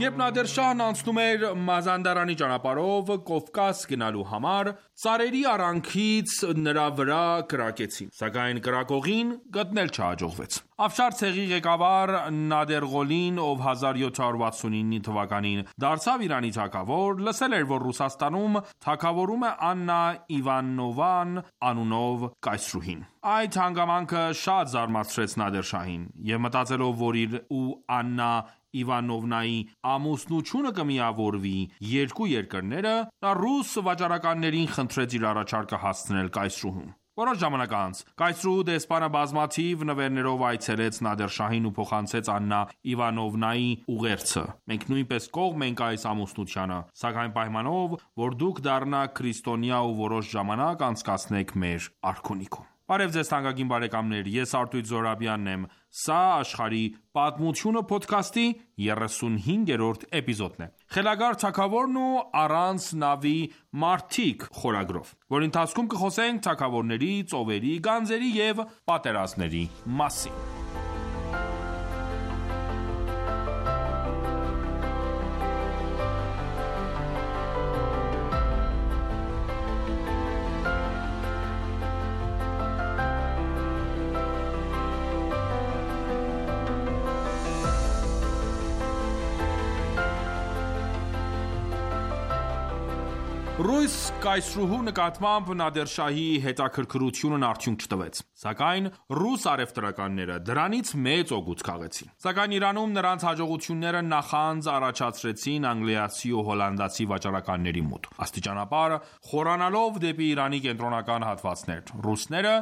Երբ Նադեր Շահն անցնում էր Մազանդարանի ճանապարհով Կովկաս գնալու համար, ծառերի արանքից նրա վրա կրակեցին, սակայն կրակողին գտնել չհաջողվեց։ Աֆշար ցեղի ղեկավար Նադերղոլին, ով 1769 թվականին դարձավ Իրանի թագավոր, լսել էր, որ Ռուսաստանում թագավորում է Աննա Իվանովան անունով կայսրուհին։ Այդ հանգամանքը շատ զարմացրեց Նադեր Շահին, եւ մտածելով, որ իր ու Աննա Իվանովնայի ամուսնությունը կմիավորվի երկու երկրները, նա ռուս վաճառականներին խնդրեց իր առաջարկը հասցնել կայսրուհուն։ Որոշ ժամանակ անց կայսրուհու դեսպանը բազմաթիվ նվերներով այցելեց Նադեր Շահին ու փոխանցեց Աննա Իվանովնայի ուղերձը։ Մենք նույնպես կողմ ենք այս ամուսնությանը, սակայն պայմանով, որ դուք դառնաք քրիստոնյա ու որոշ ժամանակ անցկացնեք մեր արքունիքում։ Բարև ձեզ թանկագին բարեկամներ, ես Արտույտ Զոհրաբյանն եմ, սա աշխարհի պատմությունը փոդքասթի 35-րդ էպիզոդն է։ Խելագար թագավորն ու առանց նավի մարդիկ խորագրով, որ ընթացքում կխոսենք թագավորների, ծովերի, գանձերի եւ պատերազմների մասին։ Ռուս կայսրուհու նկատմամբ Նադեր Շահի հետաքրքրությունն արդյունք չտվեց, սակայն ռուս առևտրականները դրանից մեծ օգուտ քաղեցին։ Սակայն Իրանում նրանց հաջողությունները նախանձ առաջացրեցին անգլիացի ու հոլանդացի վաճառականների մոտ։ Աստիճանաբար խորանալով դեպի Իրանի կենտրոնական հատվածներ, ռուսները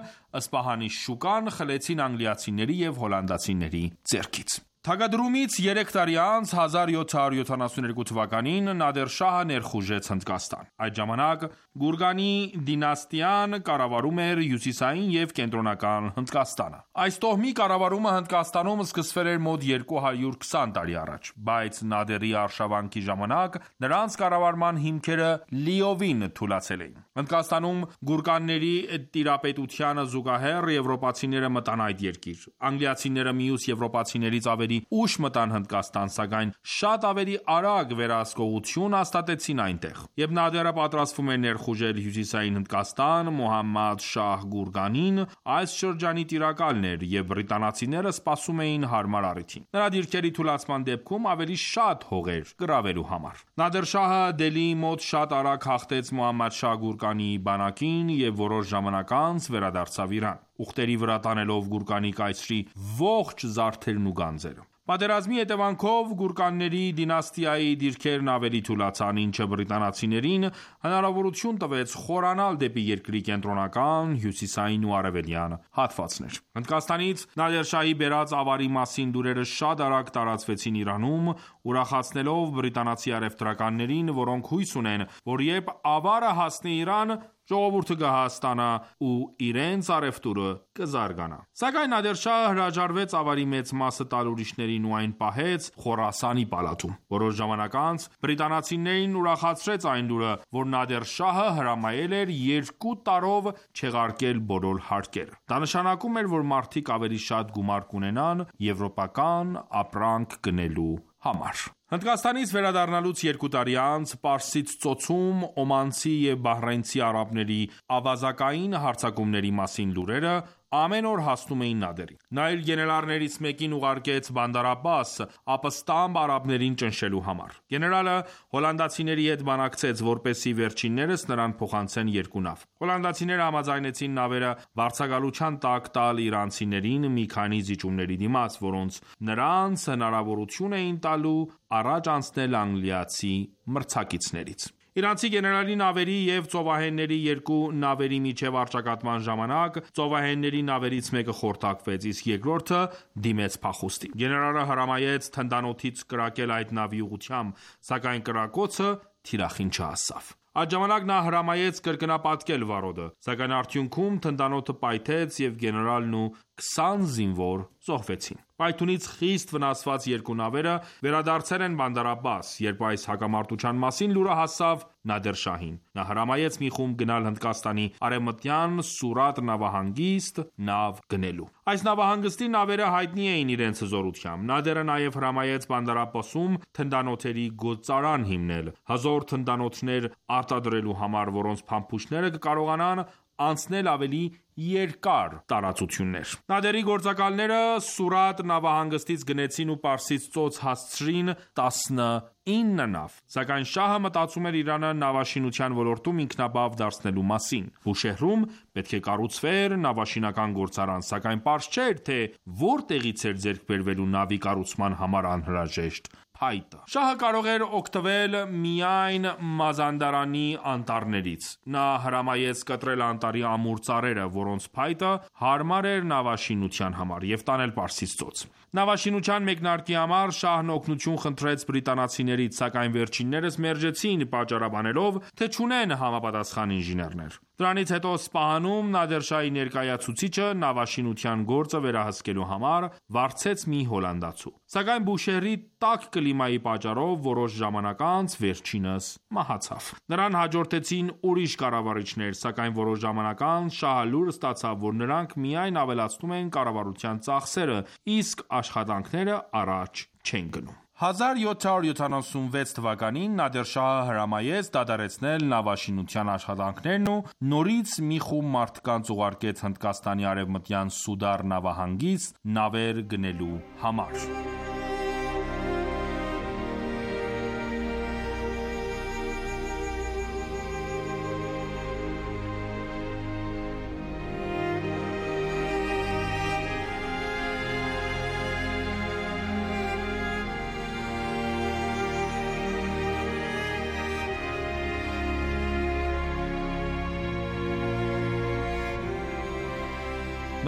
Սպահանի շուկան խլեցին անգլիացիների և հոլանդացիների ձեռքից։ Թագադրումից 3 տարի անց 1772 թվականին Նադեր Շահը ներխուժեց Հնդկաստան։ Այդ ժամանակ Գուրգանի դինաստիան կառավարում էր հյուսիսային և կենտրոնական Հնդկաստանը։ Այս տոհմի կառավարումը Հնդկաստանում սկսվել էր մոտ 220 տարի առաջ, բայց Նադերի արշավանքի ժամանակ նրանց կառավարման հիմքերը լիովին թուլացել էին։ Հնդկաստանում գուրկանների տիրապետությանը զուգահեռ եվրոպացիները մտան այդ երկիր։ Անգլիացիները մյուս եվրոպացիներից ավելի ուշ մտան Հնդկաստան, սակայն շատ ավելի արագ վերահսկողություն հաստատեցին այնտեղ։ Երբ Նադերը պատրաստվում էր ներխուժել հյուսիսային Հնդկաստան, Մոհամմադ Շահ Գուրգանին այս շրջանի տիրակալն էր և բրիտանացիները սպասում էին հարմար առիթին։ Նրա դիրքերի թուլացման դեպքում ավելի շատ հողեր գրավելու համար։ Նադեր Շահը Դելիի մոտ շատ արագ հաղթեց Մոհամմադ Շահ Գուրգանի բանակին և որոշ ժամանակ անց վերադարձավ Իրան, ուխտերի վրա տանելով Գուրգանի կայսրի ողջ զարդերն ու գանձերը։ Պատերազմի հետևանքով գուրկանների դինաստիայի դիրքերն ավելի թուլացան, ինչը բրիտանացիներին հնարավորություն տվեց խորանալ դեպի երկրի կենտրոնական, հյուսիսային ու արևելյան հատվածներ։ Հնդկաստանից Նադեր Շահի բերած ավարի մասին լուրերը շատ արագ տարածվեցին Իրանում, ուրախացնելով բրիտանացի առևտրականներին, որոնք հույս ունեն, որ երբ ավարը հասնի Իրան, ժողովուրդը կհասկանա ու իրենց առևտուրը կզարգանա։ Սակայն Նադեր Շահը հրաժարվեց ավարի մեծ մասը տալ ուրիշներին ու այն պահեց Խորասանի պալատում։ Որոշ ժամանակ անց բրիտանացիներին ուրախացրեց այն լուրը, որ Նադեր Շահը հրամայել էր 2 տարով չեղարկել բոլոր հարկերը։ Դա նշանակում էր, որ մարդիկ ավելի շատ գումար կունենան եվրոպական ապրանք գնելու համար։ Հնդկաստանից վերադառնալուց 2 տարի անց Պարսից ծոցում օմանցի և բահրայնցի արաբների ավազակային հարձակումների մասին լուրերը ամեն օր հասնում էին Նադերին։ Նա իր գեներալներից մեկին ուղարկեց Բանդար Աբբաս ապստամբ արաբներին ճնշելու համար։ Գեներալը հոլանդացիների հետ բանակցեց, որպեսզի վերջիններս նրան փոխանցեն 2 նավ։ Հոլանդացիները համաձայնեցին նավերը վարձակալության տակ տալ իրանցիներին մի քանի զիջումների դիմաց, որոնց նրանց հնարավորություն էին տալու առաջ անցնել անգլիացի մրցակիցներից։ Իրանցի գեներալի նավերի և ծովահենների 2 նավերի միջև առճակատման ժամանակ ծովահենների նավերից մեկը խորտակվեց, իսկ երկրորդը դիմեց փախուստի։ Գեներալը հրամայեց թնդանոթից կրակել այդ նավի ուղղությամբ, սակայն կրակոցը թիրախին չհասավ։ Այդ ժամանակ նա հրամայեց կրկնապատկել վարոդը, սակայն արդյունքում թնդանոթը պայթեց և գեներալն ու 20 զինվոր զոհվեցին։ Պայթունից խիստ վնասված երկու նավերը վերադարձել են Բանդար Աբբաս, երբ այս հակամարտության մասին լուրը հասավ Նադեր Շահին։ Նա հրամայեց մի խումբ գնալ Հնդկաստանի արևմտյան Սուրատ նավահանգիստ նավ գնելու։ Այս նավահանգստի նավերը հայտնի էին իրենց հզորությամբ։ Նադերը նաև հրամայեց Բանդար Աբբասում թնդանոթերի գործարան հիմնել, հզոր թնդանոթներ արտադրելու համար, որոնց փամփուշտները կկարողանան անցնել ավելի երկար տարածություններ։ Նադերի գործակալները Սուրատ նավահանգստից գնեցին ու Պարսից ծոց հասցրին 19 նավ, սակայն շահը մտածում էր Իրանը նավաշինության ոլորտում ինքնաբավ դարձնելու մասին։ Բուշեհրում պետք է կառուցվեր նավաշինական գործարան, սակայն պարզ չէր, թե որտեղից էր ձեռք բերվելու նավի կառուցման համար անհրաժեշտ փայտը։ Շահը կարող էր օգտվել միայն Մազանդարանի անտառներից։ Նա հրամայեց կտրել անտառի ամուր ծառերը, որոնց փայտը հարմար էր նավաշինության համար, եւ տանել Պարսից ծոց։ Նավաշինության մեկնարկի համար շահն օգնություն խնդրեց բրիտանացիներից, սակայն վերջիններս մերժեցին, պատճառաբանելով, թե չունեն համապատասխան ինժեներներ։ Դրանից հետո Սպահանում Նադեր Շահի ներկայացուցիչը նավաշինության գործը վերահսկելու համար վարձեց մի հոլանդացու։ Սակայն Բուշեհրի տաք կլիմայի պատճառով որոշ ժամանակ անց վերջինս մահացավ։ Նրան հաջորդեցին ուրիշ կառավարիչներ, սակայն որոշ ժամանակ անց շահը լուր ստացավ, որ նրանք միայն ավելացնում են կառավարության ծախսերը, իսկ աշխատանքները առաջ չեն գնում։ 1776 թվականին Նադեր Շահը հրամայեց դադարեցնել նավաշինության աշխատանքներն ու նորից մի խումբ մարդկանց ուղարկեց Հնդկաստանի արևմտյան Սուդար նավահանգիստ նավեր գնելու համար։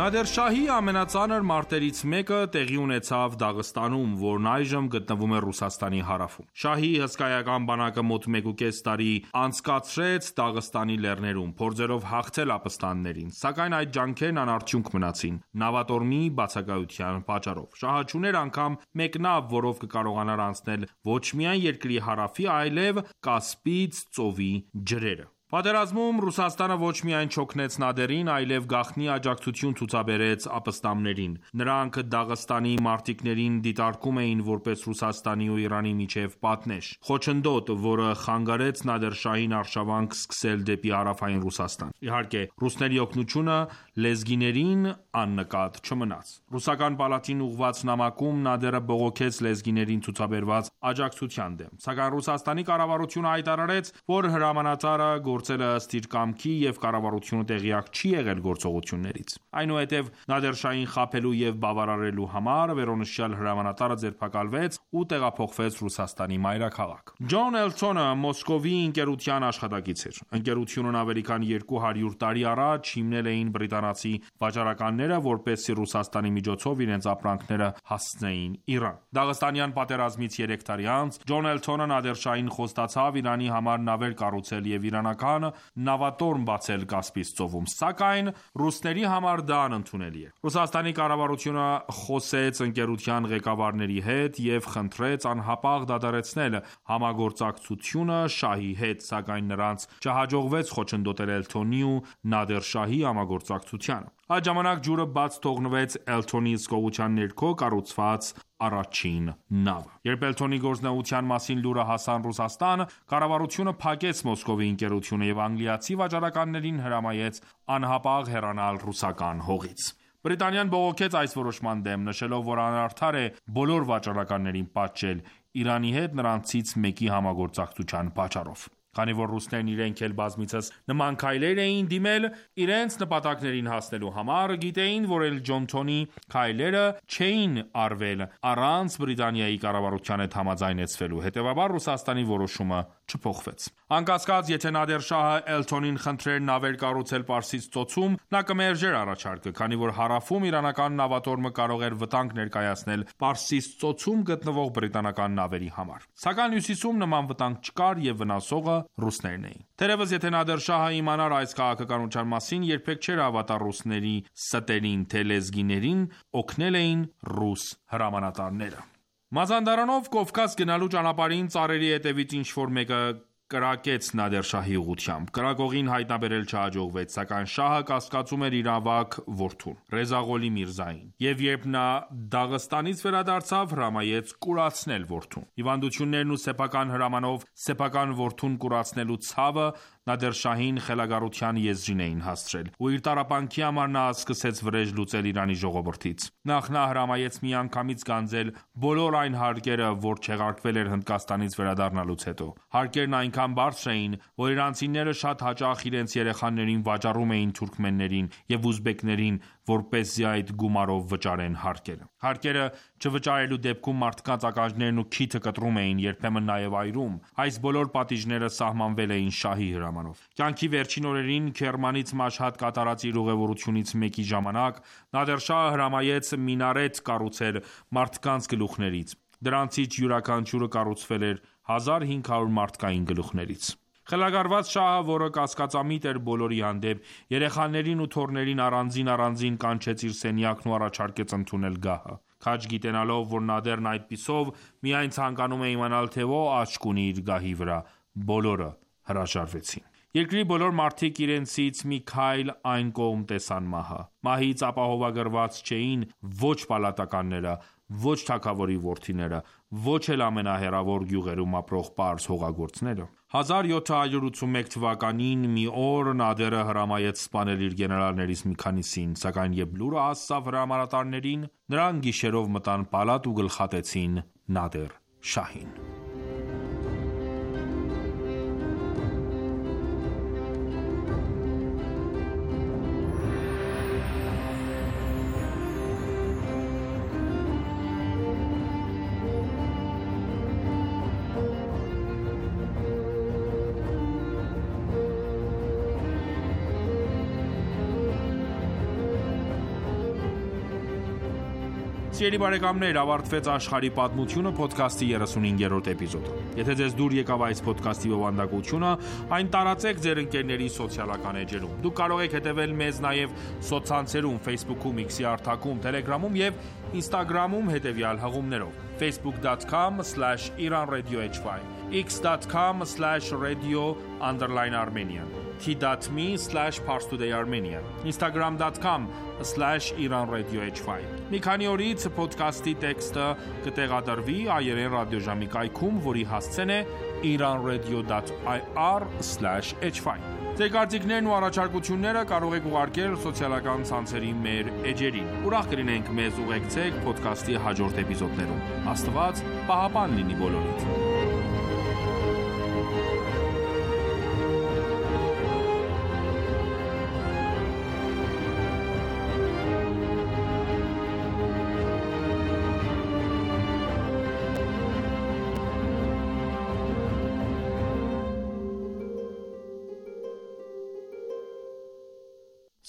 Նադեր Շահի ամենածանր մարտերից մեկը տեղի ունեցավ Դաղստանում, որն այժմ գտնվում է Ռուսաստանի հարավում։ Շահի հսկայական բանակը մոտ 1.5 տարի անցկացրեց Դաղստանի լեռներում, փորձելով հաղթել ապստաններին, սակայն այդ ջանքերն անարդյունք մնացին նավատորմի բացակայության պատճառով։ Շահը չուներ անգամ մեկ նավ, որով կկարողանար անցնել ոչ միայն երկրի հարավի, այլև Կասպից ծովի ջրերը։ Պատերազմում Ռուսաստանը ոչ միայն չօգնեց Նադերին, այլև գաղտնի աջակցություն ցուցաբերեց ապստամբներին։ Նրանք Դաղստանի մարտիկներին դիտարկում էին որպես Ռուսաստանի ու Իրանի միջև պատնեշ, խոչընդոտ, որը խանգարեց Նադեր Շահին արշավանք սկսել դեպի հարավային Ռուսաստան։ Իհարկե, ռուսների օգնությունը լեզգիներին աննկատ չմնաց։ Ռուսական պալատին ուղղված նամակում Նադերը բողոքեց լեզգիներին ցուցաբերված աջակցության դեմ, սակայն Ռուսաստանի կառավարությունը հայտարարեց, որ հրամանատարը գործել է ըստ իր կամքի եւ կառավարությունը տեղյակ չի եղել գործողություններից։ Այնուհետև Նադեր Շահին խաբելու եւ բավարարելու համար վերոնշյալ հրամանատարը ձերբակալվեց ու տեղափոխվեց Ռուսաստանի մայրաքաղաք։ Ջոն Էլթոնը Մոսկովի ընկերության աշխատակից էր։ Ընկերությունն ավելի քան 200 տարի առաջ հիմնել էին բրիտանացի վաճառականները, որպեսզի Ռուսաստանի միջոցով իրենց ապրանքները հասցնեին Իրան։ Դաղստանյան պատերազմից 3 տարի անց Ջոն Էլթոնը Նադեր Շահին խոստացավ Իրանի համար նավեր կառուցել եւ իրանական նավատորմ բացել Կասպից ծովում, սակայն ռուսների համար դա անընդունելի է։ Ռուսաստանի կառավարությունը խոսեց ընկերության ղեկավարների հետ եւ խնդրեց անհապաղ դադարեցնել համագործակցությունը շահի հետ, սակայն նրանց չհաջողվեց խոչընդոտել Էլթոնի ու Նադեր Շահի համագործակցությանը։ Այդ ժամանակ ջուրը բաց թողնվեց Էլթոնի հսկողության ներքո կառուցված առաջին նավը։ Երբ Էլթոնի գործնեության մասին լուրը հասան Ռուսաստան, կառավարությունը փակեց Մոսկովի ընկերությունը եւ անգլիացի վաճառականներին հրամայեց անհապաղ հեռանալ ռուսական հողից։ Բրիտանիան բողոքեց այս որոշման դեմ, նշելով, որ անարդար է բոլոր վաճառականներին պատժել Իրանի հետ նրանցից մեկի համագործակցության պատճառով։ Քանի որ ռուսներն իրենք էլ բազմիցս նման քայլեր էին դիմել իրենց նպատակներին հասնելու համար, գիտեին, որ էլ Ջոնթոնի քայլերը չէին արվել առանց Բրիտանիայի կառավարության հետ համաձայնեցվելու, հետևաբար Ռուսաստանի որոշումը չփոխվեց։ Անկասկած, եթե Նադեր Շահը Էլթոնին խնդրեր նավեր կառուցել Պարսից ծոցում, նա կմերժեր առաջարկը, քանի որ հարավում իրանական նավատորմը կարող էր վտանգ ներկայացնել Պարսից ծոցում գտնվող բրիտանական նավերի համար։ Սակայն հյուսիսում նման վտանգ չկար եւ վնասողը ռուսներն էին։ Թերևս եթե Նադեր Շահը իմանար այս քաղաքականության մասին, երբեք չէր հավատա ռուսների ստերին, թե լեզգիներին օգնել էին ռուս հրամանատարները։ Մազանդարանով Կովկաս գնալու ճանապարհին ծառերի հետևից ինչ-որ մեկը կրակեց Նադեր Շահի ուղղությամբ։ Կրակողին հայտնաբերել չհաջողվեց, սակայն շահը կասկածում էր իր ավագ որդուն՝ Ռեզա Ղոլի Միրզային, եւ երբ նա Դաղստանից վերադարձավ, հրամայեց կուրացնել որդուն։ Հիվանդություններն ու սեփական հրամանով սեփական որդուն կուրացնելու ցավը Նադեր Շահին խելագարության եզրին էին հասցրել, ու իր տառապանքի համար նա սկսեց վրեժ լուծել Իրանի ժողովրդից։ Նախ նա հրամայեց միանգամից գանձել բոլոր այն հարկերը, որ չեղարկվել էր Հնդկաստանից վերադառնալուց հետո։ Հարկերն այնքան բարձր էին, որ իրանցիները շատ հաճախ իրենց երեխաներին վաճառում էին թուրքմեններին եւ ուզբեկներին, որպեսզի այդ գումարով վճարեն հարկերը։ Հարկերը չվճարելու դեպքում մարդկանց ականջներն ու քիթը կտրում էին, երբեմն նաև այրում։ Այս բոլոր պատիժները սահմանվել էին շահի հրամանով։ Կյանքի վերջին օրերին Քերմանից Մաշհադ կատարած իր ուղևորությունից մեկի ժամանակ Նադեր Շահը հրամայեց մինարետ կառուցել մարդկանց գլուխներից։ Դրանցից յուրաքանչյուրը կառուցվել էր 1500 մարդկային գլուխներից։ Խելագարված շահը, որը կասկածամիտ էր բոլորի հանդեպ, երեխաներին ու թոռներին առանձին կանչեց իր սենյակն ու առաջարկեց ընդունել գահը։ Քաջ գիտենալով, որ Նադերն այդպիսով միայն ցանկանում է իմանալ, թե ո աչք ունի իր գահի վրա, բոլորը հրաժարվեցին։ Երկրի բոլոր մարդիկ իրենցից մի քայլ այն կողմ տեսան մահը։ Մահից ապահովագրված չէին ոչ պալատականները, ոչ թագավորի որդիները, ոչ էլ ամենահեռավոր գյուղերում ապրող պարզ հողագործները։ 1781 թվականին մի օր Նադերը հրամայեց սպանել իր գեներալներից մի քանիսին, սակայն երբ լուրը հասավ հրամանատարներին, նրանք գիշերով մտան պալատ ու գլխատեցին Նադեր Շահին։ Սիրելի բարեկամներ, ավարտվեց Աշխարհի պատմությունը ոդքասթի 35-րդ էպիզոդը։ Եթե ձեզ դուր եկավ այս ոդքասթի բովանդակությունը, այն տարածեք ձեր ընկերների սոցիալական էջերում։ Դուք կարող եք հետևել մեզ նաև սոցցանցերում, Facebook-ում, X-ի հարթակում, Telegram-ում եւ Instagram-ում հետևյալ հղումներով. facebook.com/iranradiohy, x.com/radio_armenian, t.me/parstoodayarmenian, instagram.com/iranradiohy։ Մի քանի օրից ոդքասթի տեքստը կտեղադրվի հայերեն ռադիոժամի կայքում, որի հասցեն է iranradio.ir/hy։ Ձեր կարծիքներն ու առաջարկությունները կարող եք ուղարկել սոցիալական ցանցերի մեր էջերին։ Ուրախ կլինենք մեզ ուղեկցեք ոդքասթի հաջորդ էպիզոդներում։ Աստված պահապան լինի բոլորիդ։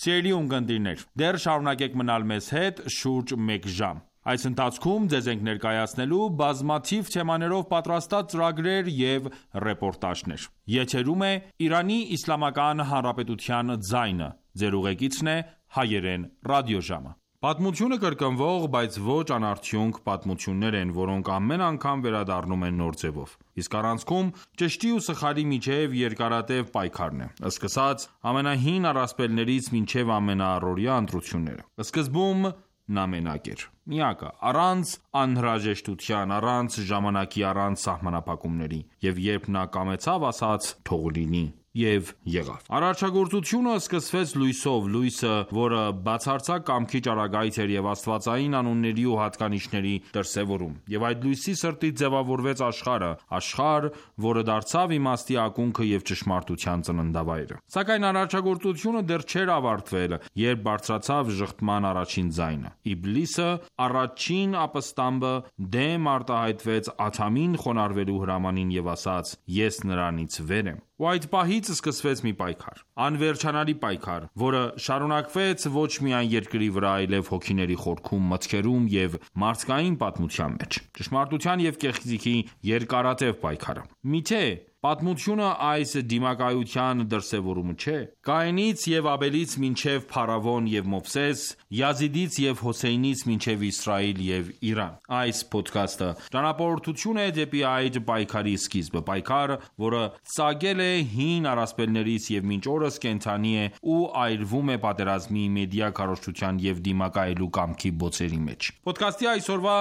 Սիրելի ունկնդիրներ, դեռ շարունակեք մնալ մեզ հետ շուրջ 1 ժամ։ Այս ընթացքում ձեզ ենք ներկայացնելու բազմաթիվ թեմաներով պատրաստած ծրագրեր և ռեպորտաժներ։ Եթերում է Իրանի Իսլամական Հանրապետության ձայնը։ Ձեր ուղեկիցն է հայերեն ռադիոժամը։ Պատմությունը կրկնվող, բայց ոչ անարդյունք պատմություններ են, որոնք ամեն անգամ վերադառնում են նոր ձևով։ Իսկ առանցքում ճշտի ու սխալի միջև երկարատև պայքարն է, սկսած ամենահին առասպելներից մինչև ամենաառօրյա ընտրությունները։ Սկզբում նա մենակ էր, միակը, առանց անհրաժեշտության, առանց ժամանակի, առանց սահմանափակումների, և երբ նա կամեցավ, ասաց՝ թող լինի։ եւ եղավ։ Արարչագործությունը սկսվեց լույսով, լույսը, որը բացարձակ կամքի ճառագայթ էր եւ աստվածային անունների ու հատկանիշների դրսեւորում։ Եվ այդ լույսի սրտից ձևավորվեց աշխարհը, աշխարհ, որը դարձավ իմաստի ակունքը եւ ճշմարտության ծննդավայրը։ Սակայն արարչագործությունը դեռ չէր ավարտվել, երբ բարձրացավ ժխտման առաջին ձայնը։ Իբլիսը, առաջին ապստամբը, դեմ արտահայտվեց Ադամին խոնարհվելու հրամանին եւ ասաց. «Ես նրանից վեր եմ»։ Ու այդ պահից սկսվեց մի պայքար, անվերջանալի պայքար, որը շարունակվեց ոչ միայն երկրի վրա, այլև հոգիների խորքում, մտքերում եւ մարդկային պատմության մեջ։ Ճշմարտության եւ կեղծիքի երկարատև պայքարը։ Միթե պատմությունը այս դիմակայության դրսևորումը չէ։ Կայենից եւ Աբելից մինչեւ Փարավոն եւ Մովսես, Յազիդից եւ Հոսեյնից մինչեւ Իսրայել եւ Իրան։ Այս ոդքասթը ճանապարհորդություն է դեպի այդ պայքարի սկիզբը, պայքար, որը ծագել է հին առասպելներից եւ մինչ օրս կենթանի է ու այրվում է պատերազմի, մեդիա քարոզչության եւ դիմակայելու կամքի բոցերի մեջ։ Ոդքասթի այսօրվա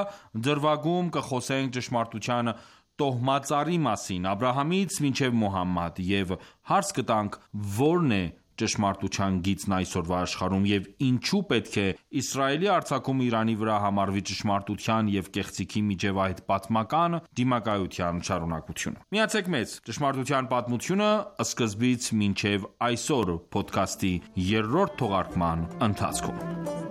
դրվագում կխոսենք ճշմարտության տոհմածառի մասին Աբրահամից մինչև Մոհամմադ եւ հարց կտանք որն է ճշմարտության գիծն այսօրվա աշխարհում եւ ինչու պետք է Իսրայելի արձակումը Իրանի վրա համարվի ճշմարտության եւ կեղծիքի միջև այդ պատմական դիմակայության շարունակությունը։ Միացեք մեզ ճշմարտության պատմությունը սկզբից մինչև այսօր ոդքասթի 3-րդ թողարկման ընթացքում։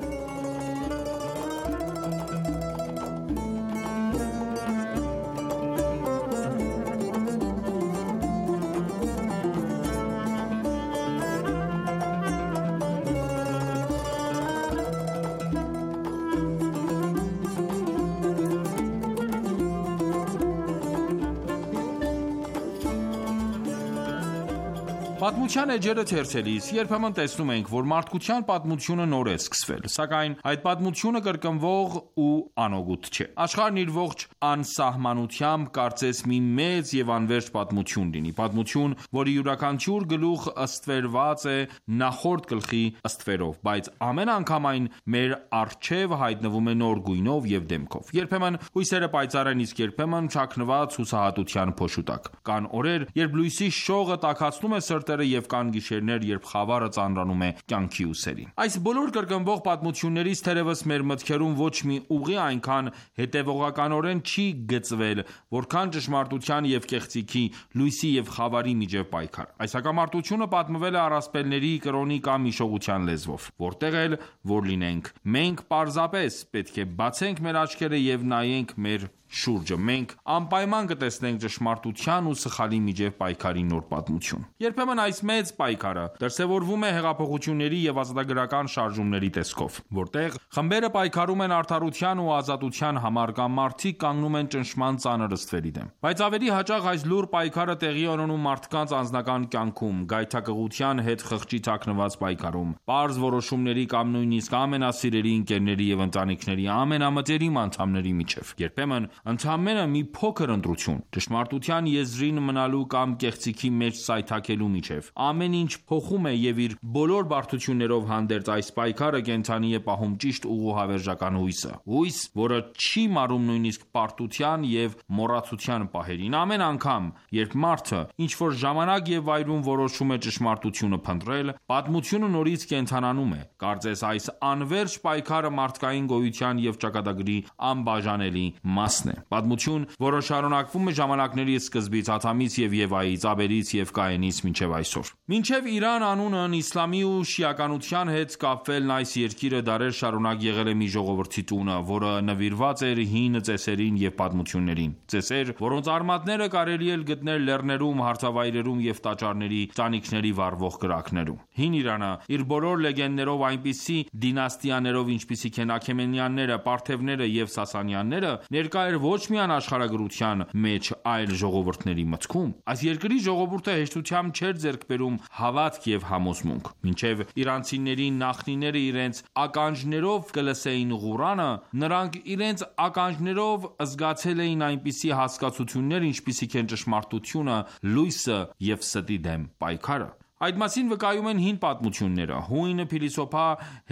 Պատմության էջերը թերթելիս երբեմն տեսնում ենք, որ մարդկության պատմությունը նոր է սկսվել, սակայն այդ պատմությունը կրկնվող ու անօգուտ չէ։ Աշխարհն իր ողջ անսահմանությամբ կարծես մի մեծ եւ անվերջ պատմություն լինի, պատմություն, որի յուրաքանչյուր գլուխ ըստվերված է նախորդ գլխի ըստվերով, բայց ամեն անգամ այն մեր առջև հայտնվում է նոր գույնով եւ դեմքով։ Երբեմն հույսերը պայծառ են, իսկ երբեմն չակնված հուսահատության փոշու տակ։ Կան օրեր, երբ լույսի շողը տաքացնում է սրտերը եւ կան գիշերներ, երբ խավարը ծանրանում է կյանքի ուսերին։ Այս բոլոր կրկնվող պատմություններից թերևս մեր մտքերում ոչ մի ուղի այնքան հետևողականորեն չի գծվել, որքան ճշմարտության եւ կեղծիքի, լույսի եւ խավարի միջև պայքար։ Այս հակամարտությունը պատմվել է առասպելների, կրոնի կամ իշողության լեզվով։ Որտեղ էլ որ լինենք, մենք պարզապես պետք է բացենք մեր աչքերը եւ նայենք մեր շուրջը։ Մենք անպայման կտեսնենք ճշմարտության ու սխալի միջև պայքարի նոր պատմություն։ Երբեմն այս մեծ պայքարը դրսևորվում է հեղափոխությունների եւ ազատագրական շարժումների տեսքով, որտեղ խմբերը պայքարում են արդարության ու ազատության համար կամ մարդիկ կանգնում են ճնշման ծանր ստվերի դեմ։ Բայց ավելի հաճախ այս լուր պայքարը տեղի է ունենում մարդկանց անձնական կյանքում, գայթակղության հետ խղճի թաքնված պայքարում, պարզ որոշումների կամ նույնիսկ ամենասիրելի ընկերների եւ ընտանիքների ամենամտերիմ անդամների միջև։ Երբեմն ընդամենը մի փոքր ընտրություն, ճշմարտության եզրին մնալու կամ կեղծիքի մեջ սայթաքելու միջև։ Ամեն ինչ փոխում է եւ իր բոլոր բարդություններով հանդերձ այս պայքարը կենթանի է պահում ճիշտ ուղու հավերժական հույսը։ Հույս, որը չի մարում նույնիսկ պարտության եւ մոռացության պահերին։ Ամեն անգամ, երբ մարդը ինչ որ ժամանակ եւ վայրում որոշում է ճշմարտությունը փնտրել, պատմությունը նորից կենթանանում է։ Կարծես այս անվերջ պայքարը մարդկային գոյության եւ ճակատագրի անբաժանելի մասն է։ Պատմություն, որը շարունակվում է ժամանակների սկզբից Ադամից եւ Եվայից, Աբելից եւ Կայենից մինչեւ այսօր։ Մինչեւ Իրան անունն իսլամի ու շիականության հետ կապվելն այս երկիրը դարեր շարունակ եղել է մի ժողովրդի տունը, որը նվիրված էր հին ծեսերին եւ պատմություններին։ Ծեսեր, որոնց արմատները կարելի է գտնել լեռներում, հարթավայրերում եւ տաճարների տանիքների վառվող կրակներում։ Հին Իրանը իր բոլոր լեգենդներով այնպիսի դինաստիաներով, ինչպիսիք են Աքեմենյանները, Պարթևները եւ Սասանյանները, ներկա էր ոչ միայն աշխարհագրության մեջ, այլ ժողովուրդների մտքում։ Այս երկրի ժողովուրդը հեշտությամբ չէր ձեռք բերում հավատք եւ համոզմունք։ Մինչեւ իրանցիների նախնիները իրենց ականջներով կլսեին Ղուրանը, նրանք իրենց ականջներով զգացել էին այնպիսի հասկացություններ, ինչպիսիք են ճշմարտությունը, լույսը եւ ստի դեմ պայքարը։ Այդ մասին վկայում են հին պատմությունները։ Հույն փիլիսոփա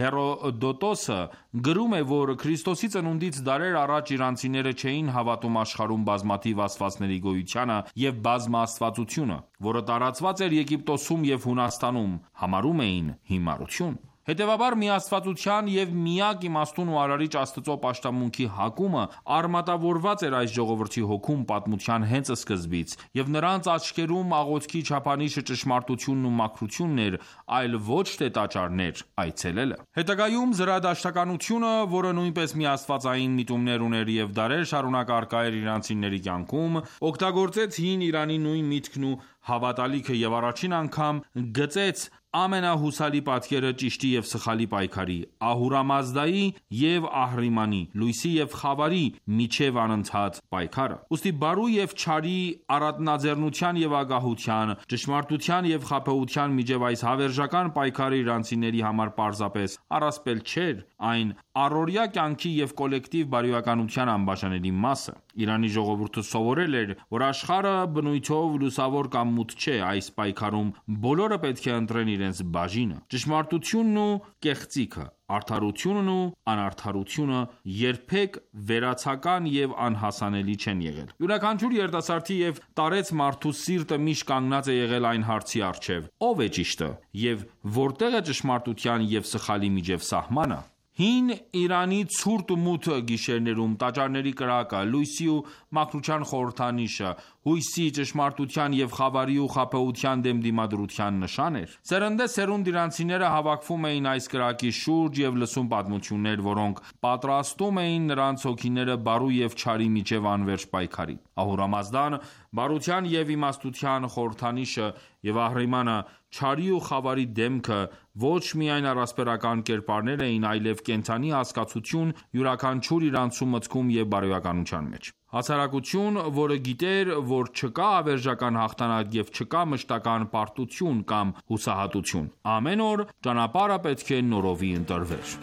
Հերոդոտոսը գրում է, որ Քրիստոսի ծնունդից դարեր առաջ իրանցիները չէին հավատում աշխարհում բազմաթիվ աստվածների գոյությանը և բազմաաստվածությունը, որը տարածված էր Եգիպտոսում և Հունաստանում, համարում էին հիմարություն։ Հետևաբար միաստվածության և միակ իմաստուն ու արարիչ Աստծո պաշտամունքի հակումը արմատավորված էր այս ժողովրդի հոգում պատմության հենց սկզբից, և նրանց աչքերում աղոթքի չափանիշը ճշմարտությունն ու մաքրությունն էր, այլ ոչ թե տաճարներ այցելելը։ Հետագայում զրադաշտականությունը, որը նույնպես միաստվածային միտումներ ուներ և դարեր շարունակ առկա էր իրանցիների կյանքում, օգտագործեց հին Իրանի նույն միտքն ու հավատալիքը և առաջին անգամ գծեց ամենահուսալի պատկերը ճիշտի և սխալի պայքարի, Ահուրամազդայի և Ահրիմանի, լույսի և խավարի միջև անընդհատ պայքարը։ Ուստի բարու և չարի առատնաձեռնության և ագահության, ճշմարտության և խաբեության միջև այս հավերժական պայքարը իրանցիների համար պարզապես առասպել չէր, այն առօրյա կյանքի և կոլեկտիվ բարոյականության անբաժանելի մաս է։ Իրանի ժողովուրդը սովորել էր, որ աշխարհը բնույթով լուսավոր կամ մութ չէ, այս պայքարում բոլորը պետք է ընտրեն իրենց բաժինը։ Ճշմարտությունն ու կեղծիքը, արդարությունն ու անարդարությունը երբեք վերացական և անհասանելի չեն եղել։ Յուրաքանչյուր երիտասարդի և տարեց մարդու սիրտը միշտ կանգնած է եղել այն հարցի առջև. ով է ճիշտը և որտեղ է ճշմարտության և սխալի միջև սահմանը։ Հին Իրանի ցուրտ ու մութ գիշերներում տաճարների կրակը, լույսի ու մաքրության խորհրդանիշը, հույսի, ճշմարտության և խավարի ու խաբեության դեմ դիմադրության նշան էր։ Սերնդեսերունդ իրանցիները հավաքվում էին այս կրակի շուրջ և լսում պատմություններ, որոնք պատրաստում էին նրանց հոգիները բարու և չարի միջև անվերջ պայքարի։ Ահուրամազդան բարության և իմաստության խորհրդանիշը և Ահրիմանը չարի ու խավարի դեմքը ոչ միայն առասպելական կերպարներ էին, այլև կենդանի հասկացություն յուրաքանչյուր իրանցու մտքում և բարոյականության մեջ։ Հասարակություն, որը գիտեր, որ չկա հավերժական հաղթանակ և չկա մշտական պարտություն կամ հուսահատություն։ Ամեն օր ճանապարհը պետք է նորովի ընտրվեր։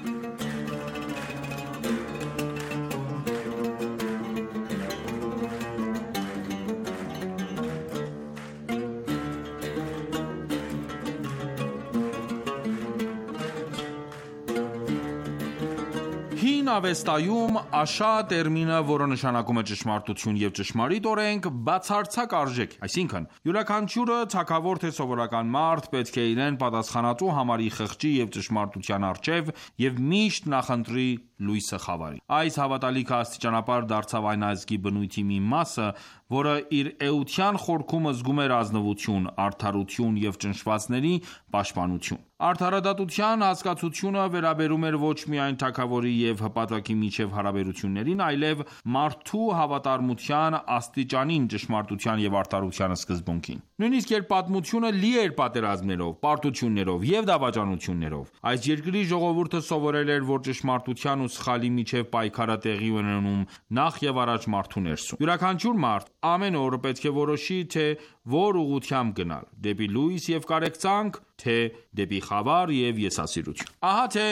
Հին Ավեստայում Աշա տերմինը, որը նշանակում է ճշմարտություն և ճշմարիտ օրենք, բացարձակ արժեք է, այսինքն յուրաքանչյուրը թագավոր թե սովորական մարդ պետք է իրեն պատասխանատու համարի խղճի և ճշմարտության առջև և միշտ նախընտրի լույսը խավարի։ Այս հավատալիքը աստիճանաբար դարձավ այն ազգի բնույթի մի մասը, որը իր էության խորքում զգում էր ազնվություն, արդարություն և ճնշվածների պաշտպանություն։ Արդարադատության հասկացությունը վերաբերում էր ոչ միայն թագավորի և հպատակի միջև հարաբերություններին, այլև մարդու հավատարմության աստիճանին ճշմարտության և արդարության սկզբունքին։ Նույնիսկ երբ պատմությունը լի էր պատերազմներով, պարտություններով և դավաճանություններով, այս երկրի ժողովուրդը սովորել էր, որ ճշմարտության ու սխալի միջև պայքարը տեղի ունենում նախ եւ առաջ մարդու ներսում։ Յուրաքանչյուր մարդ ամեն օր պետք է որոշի, թե որ ուղղությամբ գնալ՝ դեպի լույս և կարեկցանք, թե դեպի խավար և եսասիրություն։ Ահա թե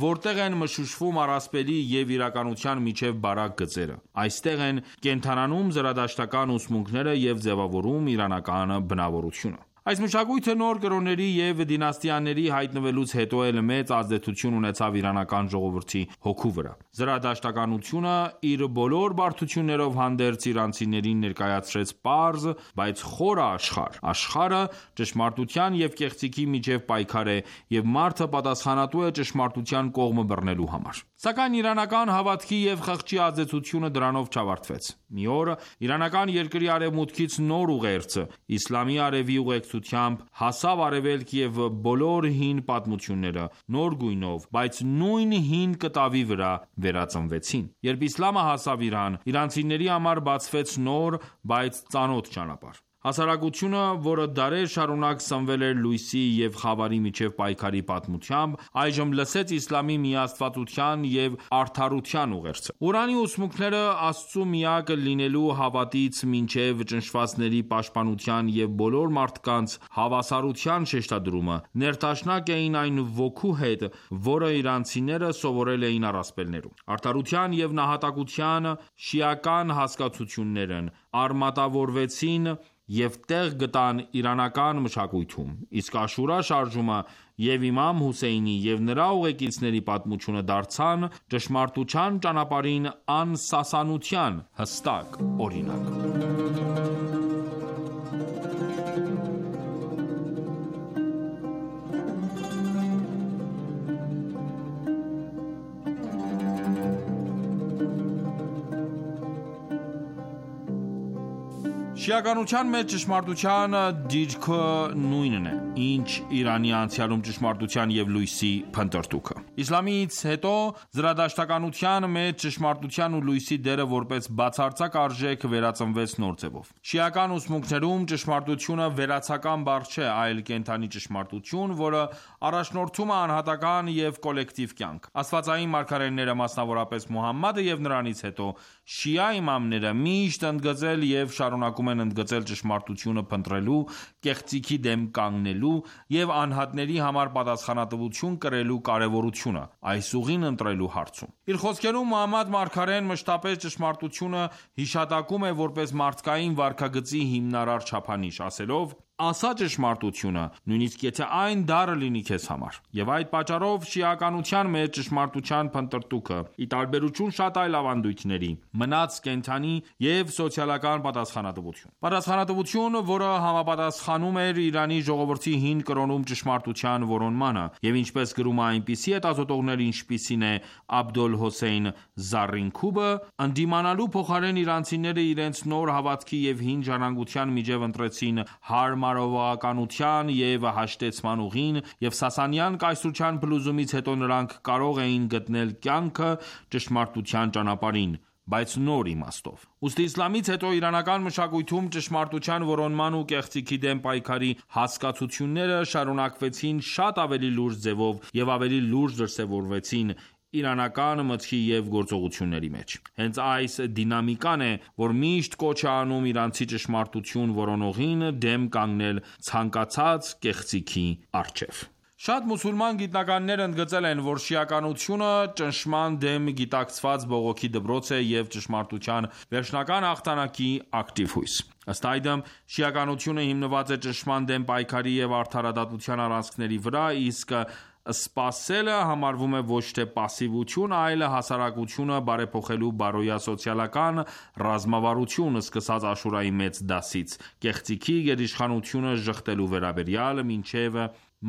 որտեղ են մշուշվում առասպելի և իրականության միջև բարակ գծերը։ Այստեղ են կենդանանում զրադաշտական ուսմունքները և ձևավորում իրանական բնավորությունը։ Այս մշակույթը նոր կրոնների և դինաստիաների հայտնվելուց հետո էլ մեծ ազդեցություն ունեցավ իրանական ժողովրդի հոգու վրա։ Զրադաշտականությունը իր բոլոր բարդություններով հանդերձ իրանցիներին ներկայացրեց պարզ, բայց խորը աշխարհ։ Աշխարհը ճշմարտության և կեղծիքի միջև պայքար է, և մարդը պատասխանատու է ճշմարտության կողմը բռնելու համար։ Սակայն իրանական հավատքի և խղճի ազդեցությունը դրանով չավարտվեց։ Մի օր իրանական երկրի արևմուտքից նոր ուղերձ իսլամի արևի ուղեկցությամբ հասավ արևելք և բոլոր հին պատմությունները նոր գույնով, բայց նույն հին կտավի վրա վերածնվեցին։ Երբ իսլամը հասավ Իրան, իրանցիների համար բացվեց նոր, բայց ծանոթ ճանապարհ։ Հասարակությունը, որը դարեր շարունակ սնվել էր լույսի և խավարի միջև պայքարի պատմությամբ, այժմ լսեց իսլամի միաստվածության և արդարության ուղերձը։ Ղուրանի ուսմունքները Աստծու միակ լինելու հավատից մինչև ճնշվածների պաշտպանության և բոլոր մարդկանց հավասարության շեշտադրումը ներդաշնակ էին այն ոգու հետ, որը իրանցիները սովորել էին առասպելներում։ Արդարության և նահատակության շիական հասկացություններն արմատավորվեցին և տեղ գտան իրանական մշակույթում, իսկ Աշուրա շարժումը և Իմամ Հոսեյնի և նրա ուղեկիցների պատմությունը դարձան ճշմարտության ճանապարհին անսասանության հստակ օրինակ։ Շիականության մեջ ճշմարտության դիրքը նույնն է, ինչ Իրանի անցյալում ճշմարտության և լույսի փնտրտուքը։ Իսլամից հետո զրադաշտականության մեջ ճշմարտության ու լույսի դերը որպես բացարձակ արժեք վերածնվեց նոր ձևով։ Շիական ուսմունքներում ճշմարտությունը վերացական բառ չէ, այլ կենդանի ճշմարտություն, որը առաջնորդում է անհատական և կոլեկտիվ կյանք։ Աստվածային մարգարեները, մասնավորապես Մուհամմադը և նրանից հետո շիա իմամները միշտ ընդգծել և շարունակում են ընդգծել ճշմարտությունը փնտրելու, կեղծիքի դեմ կանգնելու և անհատների համար պատասխանատվություն կրելու կարևորությունը այս ուղին ընտրելու հարցում։ Իր խոսքերում Մուհամմադ մարգարեն մշտապես ճշմարտությունը հիշատակում է որպես մարդկային վարքագծի հիմնարար չափանիշ, ասելով. «Ասա ճշմարտությունը, նույնիսկ եթե այն դառը լինի քեզ համար»։ Եվ այդ պատճառով շիականության մեջ ճշմարտության փնտրտուքը, ի տարբերություն շատ այլ ավանդույթների, մնաց կենդանի և սոցիալական պատասխանատվություն։ Պատասխանատվություն, որը համապատասխանում էր Իրանի ժողովրդի հին կրոնում ճշմարտության որոնմանը, և ինչպես գրում է այնպիսի հետազոտողներ, ինչպիսին է Աբդոլ Հոսեյն Զարինքուբը, ընդդիմանալու փոխարեն իրանցիները իրենց նոր հավատքի և հին ժառանգության միջև ընտրեցին հարմարողականության և հաշտեցման ուղին, և Սասանյան կայսրության փլուզումից հետո նրանք կարող էին գտնել կյանքը ճշմարտության ճանապարհին, բայց նոր իմաստով։ Ուստի իսլամից հետո իրանական մշակույթում ճշմարտության որոնման ու կեղծիքի դեմ պայքարի հասկացությունները շարունակվեցին շատ ավելի լուրջ ձևով և ավելի լուրջ դրսևորվեցին իրանական մտքի և գործողությունների մեջ։ Հենց այս դինամիկան է, որ միշտ կոչ է անում իրանցի ճշմարտություն որոնողին դեմ կանգնել ցանկացած կեղծիքի առջև։ Շատ մուսուլման գիտնականներ ընդգծել են, որ շիականությունը ճնշման դեմ գիտակցված բողոքի դպրոց է և ճշմարտության վերջնական հաղթանակի ակտիվ հույս։ Ըստ այդմ, շիականությունը հիմնված է ճնշման դեմ պայքարի և արդարադատության առանցքների վրա, իսկ սպասելը համարվում է ոչ թե պասիվություն, այլ հասարակությունը բարեփոխելու բարոյասոցիալական ռազմավարություն՝ սկսած Աշուրայի մեծ դասից, կեղծիքի գերիշխանությունը ժխտելու վերաբերյալ, մինչև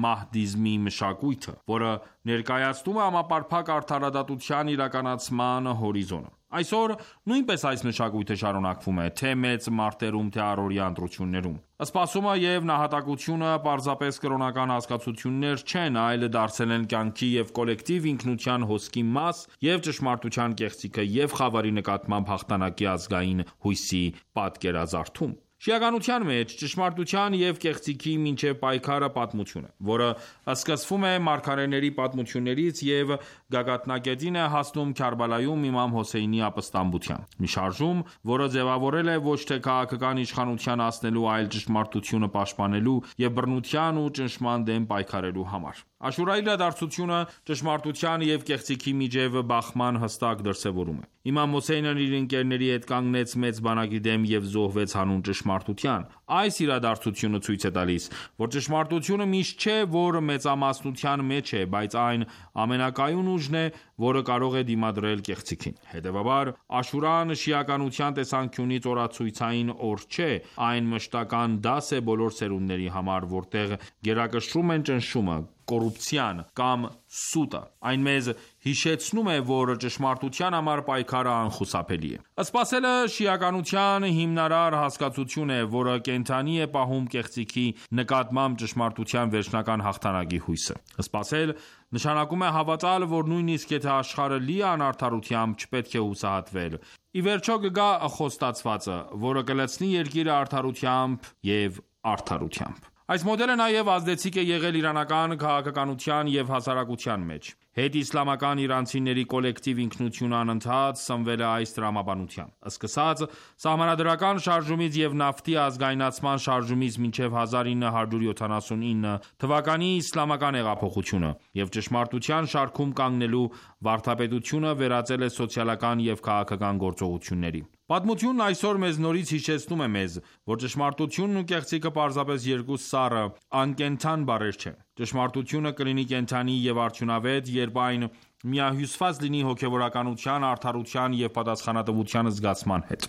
մահդիզմի մշակույթը, որը ներկայացնում է համապարփակ արդարադատության իրականացման հորիզոնը։ Այսօր նույնպես այս մշակույթը շարունակվում է, թե մեծ մարտերում, թե առօրյա ընտրություններում։ Սպասումը և նահատակությունը պարզապես կրոնական հասկացություններ չեն, այլ դարձել են կյանքի և կոլեկտիվ ինքնության հոսքի մաս և ճշմարտության կեղծիքը և խավարի նկատմամբ հաղթանակի ազգային հույսի պատկերազարդում։ Շիականության մեջ ճշմարտության և կեղծիքի միջև պայքարը պատմություն է, որը սկսվում է մարգարեների պատմություններից և գագաթնակետին է հասնում Քարբալայում Իմամ Հոսեյնի ապստամբությամբ։ Մի շարժում, որը ձևավորվել է ոչ թե քաղաքական իշխանության հասնելու, այլ ճշմարտությունը պաշտպանելու և բռնության ու ճնշման դեմ պայքարելու համար։ Աշուրայի իրադարձությունը ճշմարտության և կեղծիքի միջև բախման հստակ դրսևորում է։ Իմամ Հոսեյնն իր ընկերների հետ կանգնեց մեծ բանակի դեմ և զոհվեց հանուն ճշմարտության։ Այս իրադարձությունը ցույց է տալիս, որ ճշմարտությունը միշտ չէ, որ մեծամասնության մեջ է, բայց այն ամենակայուն ուժն է, որը կարող է դիմադրել կեղծիքին։ Հետևաբար, Աշուրան շիականության տեսանկյունից օրացույցային օր չէ, այն մշտական դաս է բոլոր սերունդների համար, որտեղ գերակշռում են ճնշումը, կոռուպցիան կամ սուտը։ Այն մեզ հիշեցնում է, որ ճշմարտության համար պայքարը անխուսափելի է։ Սպասելը շիականության հիմնարար հասկացություն է, որը կենդանի է պահում կեղծիքի նկատմամբ ճշմարտության վերջնական հաղթանակի հույսը։ Սպասել նշանակում է հավատալ, որ նույնիսկ եթե աշխարհը լի է անարդարությամբ, չպետք է հուսահատվել։ Ի վերջո կգա խոստացվածը, որը կլցնի երկիրը արդարությամբ և արդարությամբ։ Այս մոդելը նաև ազդեցիկ է եղել իրանական քաղաքականության և հասարակության մեջ։ Հետիսլամական իրանցիների կոլեկտիվ ինքնությունը անընդհատ սնվել է այս տրամաբանությամբ։ Սկսած սահմանադրական շարժումից և նավթի ազգայնացման շարժումից մինչև 1979 թվականի իսլամական հեղափոխությունը և ճշմարտության շարքում կանգնելու վարդապետությունը վերածել է սոցիալական և քաղաքական գործողությունների։ Պատմությունն այսօր մեզ նորից հիշեցնում է մեզ, որ ճշմարտությունն ու կեղծիքը պարզապես երկու սառը, անկենդան բառեր չեն։ Ճշմարտությունը կլինի կենդանի և արդյունավետ, երբ այն միահյուսված լինի հոգևորականության, արդարության և պատասխանատվության զգացման հետ։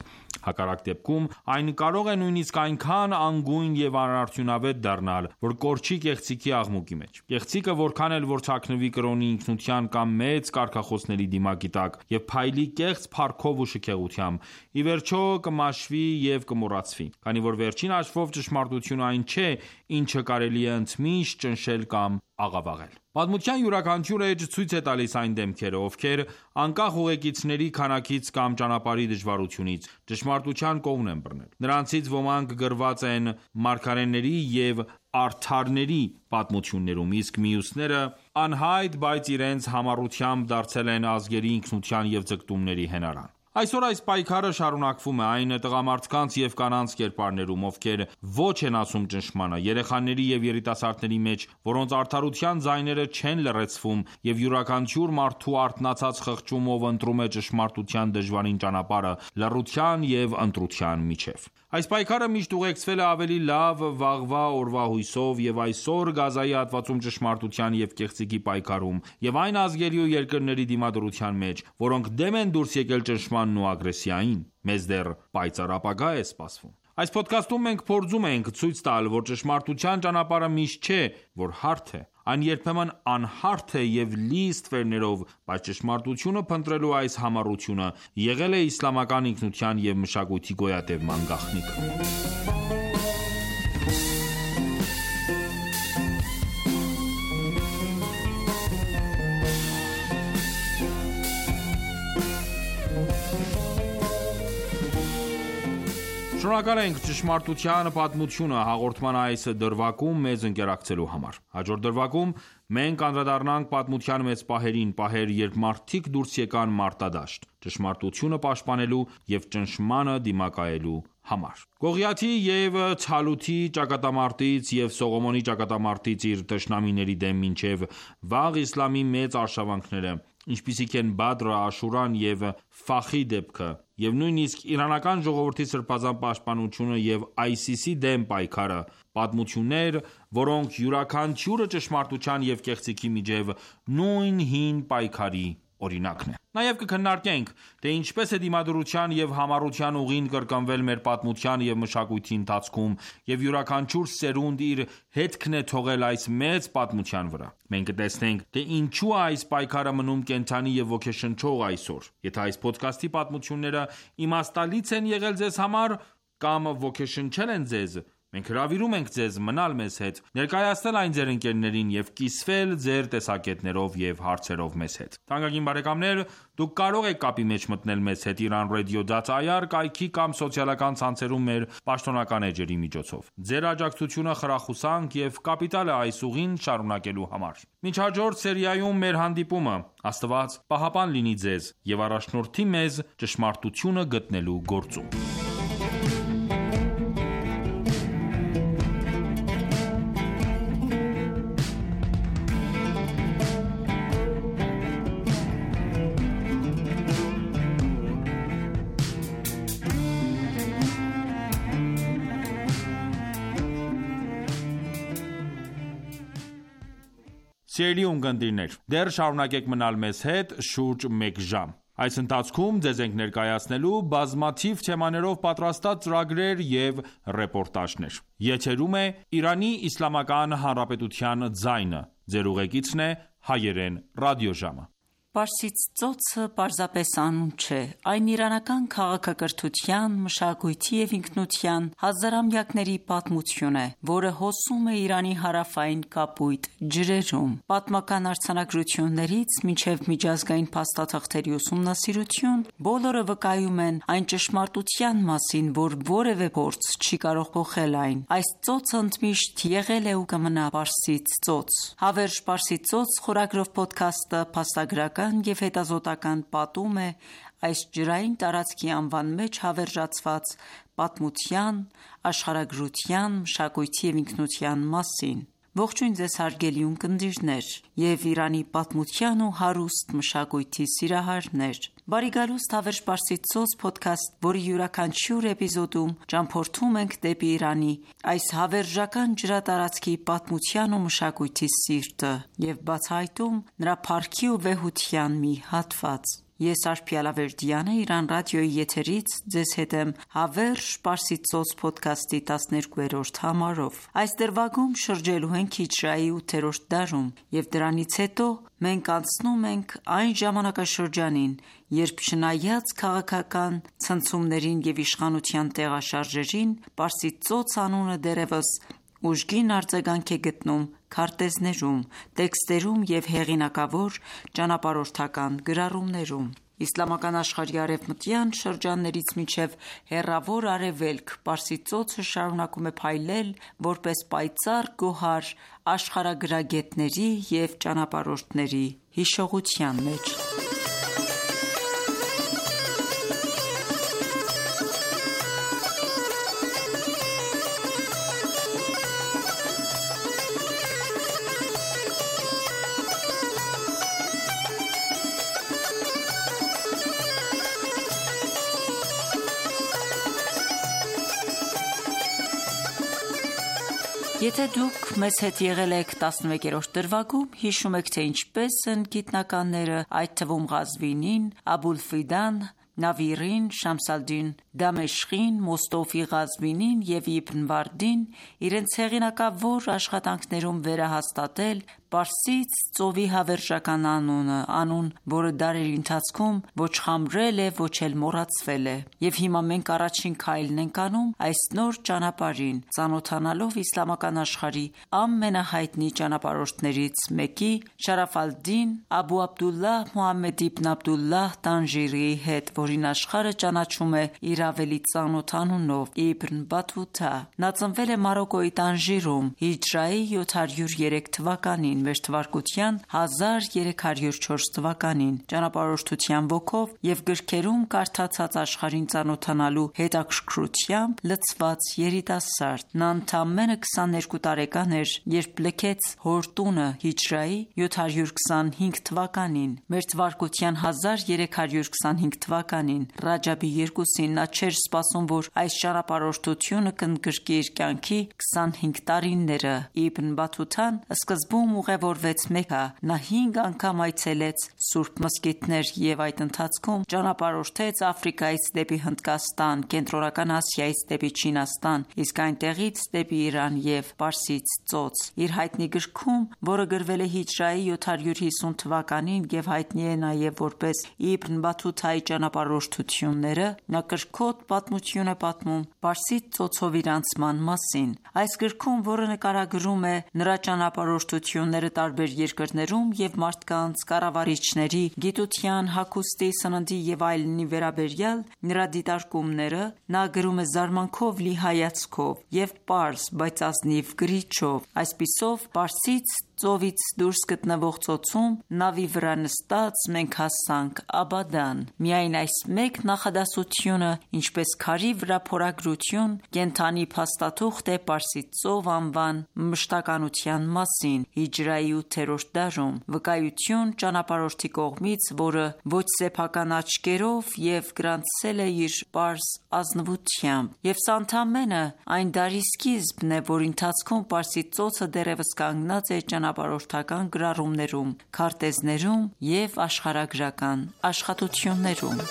Հակառակ դեպքում այն կարող է նույնիսկ այնքան անգույն և անարդյունավետ դառնալ, որ կորչի կեղծիքի աղմուկի մեջ։ Կեղծիքը որքան էլ որ թաքնվի կրոնի, ինքնության կամ մեծ կարգախոսների դիմակի տակ և փայլի կեղծ փառքով ու շքեղությամբ, ի վերջո կմաշվի և կմոռացվի, քանի որ վերջին հաշվով ճշմարտությունը այն չէ, ինչը կարելի է ընդմիշտ ճնշել կամ աղավաղել։ Պատմության յուրաքանչյուր էջ ցույց է տալիս այն դեմքերը, ովքեր անկախ ուղեկիցների քանակից կամ ճանապարհի դժվարությունից, ճշմարտության կողմն են բռնել։ Նրանցից ոմանք գրված են մարգարեների և արդարների պատմություններում, իսկ մյուսները անհայտ, բայց իրենց համառությամբ դարձել են ազգերի ինքնության և ձգտումների հենարան։ Այսօր այս պայքարը շարունակվում է այն տղամարդկանց և կանանց կերպարներում, ովքեր ոչ են ասում ճնշմանը, երեխաների և երիտասարդների մեջ, որոնց արդարության ձայները չեն լռեցվում, և յուրաքանչյուր մարդու արթնացած խղճում, ով ընտրում է ճշմարտության դժվարին ճանապարհը լռության և ընտրության միջև։ Այս պայքարը միշտ ուղեկցվել է ավելի լավ վաղվա օրվա հույսով, և այսօր Գազայի հատվածում ճշմարտության և կեղծիքի պայքարում և այն ազգերի ու երկրների դիմադրության մեջ, որոնք դեմ են դուրս եկել ճնշմանն ու ագրեսիային, մեզ դեռ պայծառ ապագա է սպասվում։ Այս փոդքասթում մենք փորձում ենք ցույց տալ, որ ճշմարտության ճանապարհը միշտ չէ, որ հարթ է։ Այն երբեմն անհարթ է և լի ստվերներով, բայց ճշմարտությունը փնտրելու այս համառությունը եղել է իսլամական ինքնության և մշակույթի գոյատևման գաղտնիքը։ Շնորհակալ ենք «Ճշմարտության պատմությունը» հաղորդման այս դրվագում մեզ ընկերակցելու համար։ Հաջորդ դրվագում մենք անդրադառնանք պատմության մեծ պահերին, պահեր, երբ մարդիկ դուրս եկան մարտադաշտ, ճշմարտությունը պաշտպանելու և ճնշմանը դիմակայելու համար։ Գողիաթի և Թալութի ճակատամարտից և Սողոմոնի ճակատամարտից իր թշնամիների դեմ մինչև վաղ իսլամի մեծ արշավանքները, ինչպիսիք են Բադրը, Աշուրան և Ֆախի դեպքը, և նույնիսկ իրանական ժողովրդի սրբազան պաշտպանությունը և ISIS-ի դեմ պայքարը, պատմություններ, որոնք յուրաքանչյուրը ճշմարտության և կեղծիքի միջև նույն հին պայքարի օրինակն է։ Նաև կքննարկենք, թե ինչպես է դիմադրության և համառության ուղին կրկնվել մեր պատմության և մշակույթի ընթացքում, և յուրաքանչյուր սերունդ իր հետքն է թողել այս մեծ պատմության վրա։ Մենք կտեսնենք, թե ինչու է այս պայքարը մնում կենդանի և ոգեշնչող այսօր։ Եթե այս փոդքասթի պատմությունները իմաստալից են եղել ձեզ համար կամ ոգեշնչել են ձեզ, մենք հրավիրում ենք ձեզ մնալ մեզ հետ, ներկայացնել այն ձեր ընկերներին և կիսվել ձեր տեսակետներով և հարցերով մեզ հետ։ Թանկագին բարեկամներ, դուք կարող եք կապի մեջ մտնել մեզ հետ iranradio.ir կայքի կամ սոցիալական ցանցերում մեր պաշտոնական էջերի միջոցով։ Ձեր աջակցությունը խրախուսանք և կապիտալ է այս ուղին շարունակելու համար։ Մինչ հաջորդ սերիայում մեր հանդիպումը, Աստված պահապան լինի ձեզ և առաջնորդի մեզ ճշմարտությունը գտնելու գործում։ Սիրելի ունկնդիրներ, դեռ շարունակեք մնալ մեզ հետ շուրջ մեկ ժամ։ Այս ընթացքում ձեզ ենք ներկայացնելու բազմաթիվ թեմաներով պատրաստած ծրագրեր և ռեպորտաժներ։ Եթերում է Իրանի Իսլամական Հանրապետության ձայնը։ Ձեր ուղեկիցն է Հայերեն ռադիոժամը։ Պարսից ծոցը պարզապես անուն չէ, այն իրանական քաղաքակրթության, մշակույթի և ինքնության հազարամյակների պատմություն է, որը հոսում է Իրանի հարավային կապույտ ջրերում։ Պատմական արձանագրություններից մինչև միջազգային փաստաթղթերի ուսումնասիրություն, բոլորը վկայում են այն ճշմարտության մասին, որ որևէ փորձ չի կարող փոխել այն։ Այս ծոցը ընդմիշտ եղել է ու կմնա Պարսից ծոց։ Հավերժ Պարսից ծոց խորագրով փոդքասթը փաստագրական և հետազոտական պատում է այս ջրային տարածքի անվան մեջ հավերժացված պատմության, աշխարհագրության, մշակույթի և ինքնության մասին։ Ողջույն ձեզ հարգելի ունկնդիրներ և Իրանի պատմության ու հարուստ մշակույթի սիրահարներ: Բարի գալուստ «Հավերժ Պարսից Փոդքասթ», որի յուրաքանչյուր էպիզոդում ճամփորդում ենք դեպի Իրանի այս հավերժական ջրատարածքի պատմության ու մշակույթի սիրտը և բացահայտում նրա փառքի ու վեհության մի հատված: Ես Արփի Ալավերդյանը Իրանական ռադիոյի եթերից ձեզ հետ եմ «Հավերժ Պարսից Փոդքասթի» 12-րդ համարով: Այս դրվագում շրջելու ենք հիջրեայի 8-րդ դարում և դրանից հետո մենք անցնում ենք այն ժամանակաշրջանին, երբ չնայած քաղաքական ցնցումներին և իշխանության տեղաշարժերին, Պարսից ծոց անունը դեռևս ուժգին արձագանք է գտնում քարտեզներում, տեքստերում և հեղինակավոր ճանապարհորդական գրառումներում: Իսլամական աշխարհի արևմտյան շրջաններից մինչև հեռավոր արևելք Պարսից ծոցը շարունակում է փայլել որպես պայծառ գոհար աշխարհագրագետների և ճանապարհորդների հիշողության մեջ: Եթե դուք մեզ հետ եղել եք 11-րդ դրվագում, հիշում եք, թե ինչպես են գիտնականները, այդ թվում Ղազվինին, Աբուլֆիդան, Նավիրին, Շամս ալ-Դին Դամեշկին, Մոստոֆի Ղազվինին և Իբն Վարդին իրենց հեղինակավոր աշխատանքներում վերահաստատել Պարսից ծովի հավերժական անունը, անուն, որը դարերի ընթացքում ոչ խամրել է, ոչ էլ մոռացվել է: Եվ հիմա մենք առաջին քայլն ենք անում այս նոր ճանապարհին, ծանոթանալով իսլամական աշխարհի ամենահայտնի ճանապարհորդներից մեկի՝ Շարաֆ ալ-Դին Աբու Աբդուլլահ Մուհամմեդ իբն Աբդուլլահ Տանժիրիի հետ, որին աշխարհը ճանաչում է իր ավելի ծանոթ անունով՝ Իբն Բաթութա: Նա ծնվել է Մարոկկոյի Տանժիրում հիջրեայի 703 թվականին, մեր թվարկության 1304 թվականին: Ճանապարհորդության ոգով և գրքերում կարդացած աշխարհին ծանոթանալու հետաքրքրությամբ լցված երիտասարդ: Նա ընդամենը 22 տարեկան էր, երբ լքեց հոր տունը հիջրեայի 725 թվականին: Մեր թվարկության 1325 թվականին Ռաջաբի 2-ին նա չէր սպասում, որ այս ճանապարհորդությունը կընդգրկի իր կյանքի 25 տարիները: Իբն Բաթութան սկզբում ուղևորվեց Մեքքա: Նա 5 անգամ այցելեց սուրբ մզկիթներ և այդ ընթացքում ճանապարհորդեց Աֆրիկայից դեպի Հնդկաստան, Կենտրոնական Ասիայից դեպի Չինաստան, իսկ այնտեղից դեպի Իրան և Պարսից ծոց: Իր հայտնի գրքում, որը գրվել է հիջրեայի 750 թվականին և հայտնի է նաև որպես Իբն Բաթութայի ճանապարհորդությունները, նա կրքոտ պատմություն է պատմում Պարսից ծոցով իր անցման մասին: Այս գրքում, որը նկարագրում է նրա ճանապարհորդությունները տարբեր երկրներում և մարդկանց, կառավարիչների, գիտության, հագուստի, սննդի և այլնի վերաբերյալ նրա դիտարկումները, նա գրում է զարմանքով լի հայացքով և պարզ, բայց ազնիվ կրիչով: Այսպիսով, Պարսից ծովից դուրս գտնվող ծոցում նավի վրա նստած մենք հասանք Աբադան: Միայն այս մեկ նախադասությունը, ինչպես քարի վրա փորագրություն, կենդանի փաստաթուղթ է Պարսից ծով անվան մշտականության մասին հիջրեայի 8-րդ դարում, վկայություն ճանապարհորդի կողմից, որը ոչ սեփական աչքերով և գրանցել է իր պարզ ազնվությամբ: Եվ սա ընդամենը այն դարի սկիզբն է, որի ընթացքում Պարսից ծոցը դեռևս կանգնած է ճանապարհորդական գրառումներում, քարտեզներում և աշխարհագրական աշխատություններում: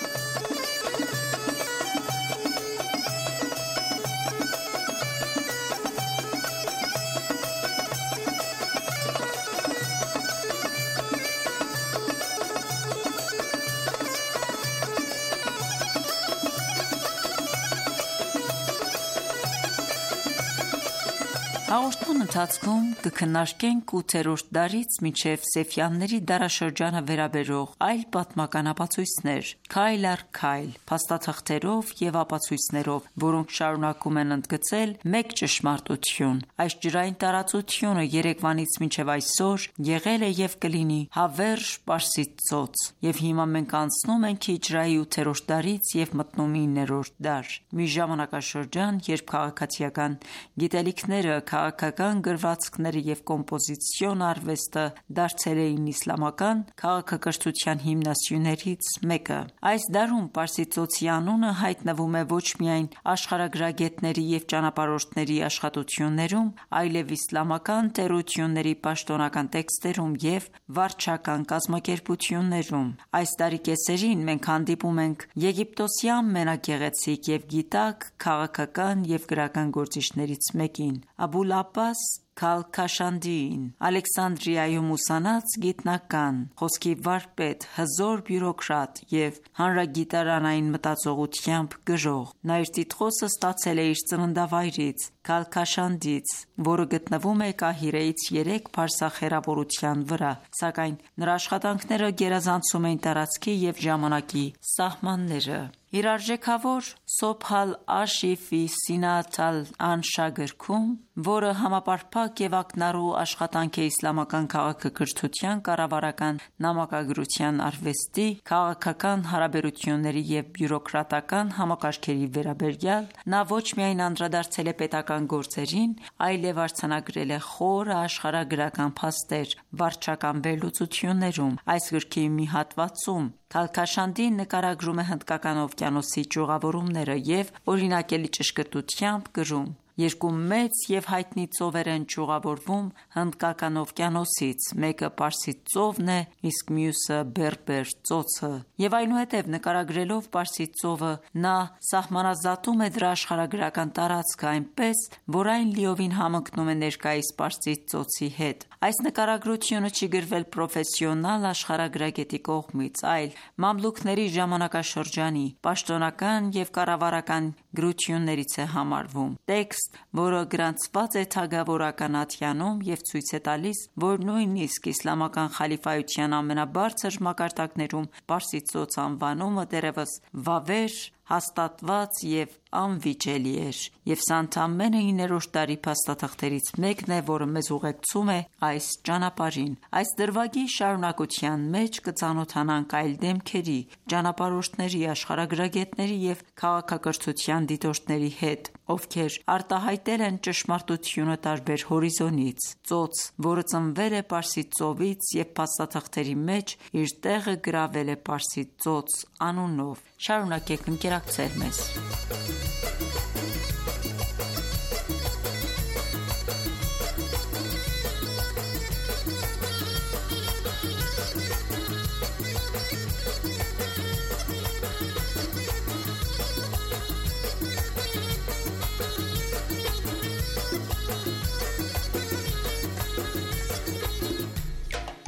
Հաղորդման ընթացքում կքննարկենք 8-րդ դարից մինչև Սեֆյանների դարաշրջանը վերաբերող այլ պատմական ապացույցներ՝ քայլ առ քայլ, փաստաթղթերով և ապացույցներով, որոնք շարունակում են ընդգծել մեկ ճշմարտություն՝ այս ջրային տարածությունը երեկվանից մինչև այսօր եղել է և կլինի հավերժ Պարսից ծոց: Եվ հիմա մենք անցնում ենք հիջրեայի 8-րդ դարից և մտնում 9-րդ դար: Մի ժամանակաշրջան, երբ քաղաքացիական գիտելիքները, քաղաքական գրվածքները և կոմպոզիցիոն արվեստը դարձել էին իսլամական քաղաքակրթության հիմնասյուներից մեկը։ Այս դարում Պարսից ծոցի անունը հայտնվում է ոչ միայն աշխարհագրագետների և ճանապարհորդների աշխատություններում, այլև իսլամական տերությունների պաշտոնական տեքստերում և վարչական կազմակերպություններում։ Այս տարի կեսերին մենք հանդիպում ենք Եգիպտոսի ամենագեղեցիկ և գիտակ քաղաքական և գրական գործիչներից մեկին՝ Աբուլ Աբբաս Քալքաշանդիին, Ալեքսանդրիայում ուսանած գիտնական, խոսքի վարպետ, հզոր բյուրոկրատ և հանրագիտարանային մտածողությամբ գրող։ Նա իր տիտղոսը ստացել է իր ծննդավայրից՝ Քալքաշանդից, որը գտնվում է Կահիրեից 3 փարսախ հեռավորության վրա, սակայն նրա աշխատանքները գերազանցում էին տարածքի և ժամանակի սահմանները։ Իր արժեքավոր Սոբհ ալ-Աշի ֆի Սինաթ ալ-Անշա գրքում, որը համապարփակ և ակնառու աշխատանք է իսլամական քաղաքակրթության, կառավարական նամակագրության, արվեստի, քաղաքական հարաբերությունների և բյուրոկրատական համակարգերի վերաբերյալ, նա ոչ միայն անդրադարձել է պետական գործերին, այլև արձանագրել է խորը աշխարհագրական փաստեր վարչական վերլուծություններում։ Այս գրքի մի հատվածում Քալքաշանդին նկարագրում է Հնդկական օվկիանոսի ճյուղավորումները և օրինակելի ճշգրտությամբ գրում. «Երկու մեծ և հայտնի ծովեր են ճյուղավորվում Հնդկական օվկիանոսից, մեկը Պարսից ծովն է, իսկ մյուսը Բերբեր ծոցը»։ Եվ այնուհետև նկարագրելով Պարսից ծովը, նա սահմանազատում է դրա աշխարհագրական տարածքը, այնպես, որ այն լիովին համընկնում է ներկայիս Պարսից ծոցի հետ։ Այս նկարագրությունը չի գրվել պրոֆեսիոնալ աշխարհագրագետի կողմից, այլ մամլուքների ժամանակաշրջանի պաշտոնական և կառավարական գրություններից է համարվում։ Տեքստ, որը գրանցված է թագավորական ատյանում և ցույց է տալիս, որ նույնիսկ իսլամական խալիֆայության ամենաբարձր մակարդակներում Պարսից ծոց անվանումը դեռևս վավեր, հաստատված և անվիճելի էր։ Եվ սա ընդամենը 9-րդ դարի փաստաթղթերից մեկն է, որը մեզ ուղեկցում է այս ճանապարհին։ Այս դրվագի շարունակության մեջ կծանոթանանք այլ դեմքերի, ճանապարհորդների, աշխարհագրագետների և քաղաքակրթության դիտորդների հետ, ովքեր արտահայտել են ճշմարտությունը տարբեր հորիզոնից։ Ծոց, որը ծնվել է Պարսից ծովից և փաստաթղթերի մեջ իր տեղը գրավել է Պարսից ծոց անունով։ Շարունակեք ընկերակցել մեզ։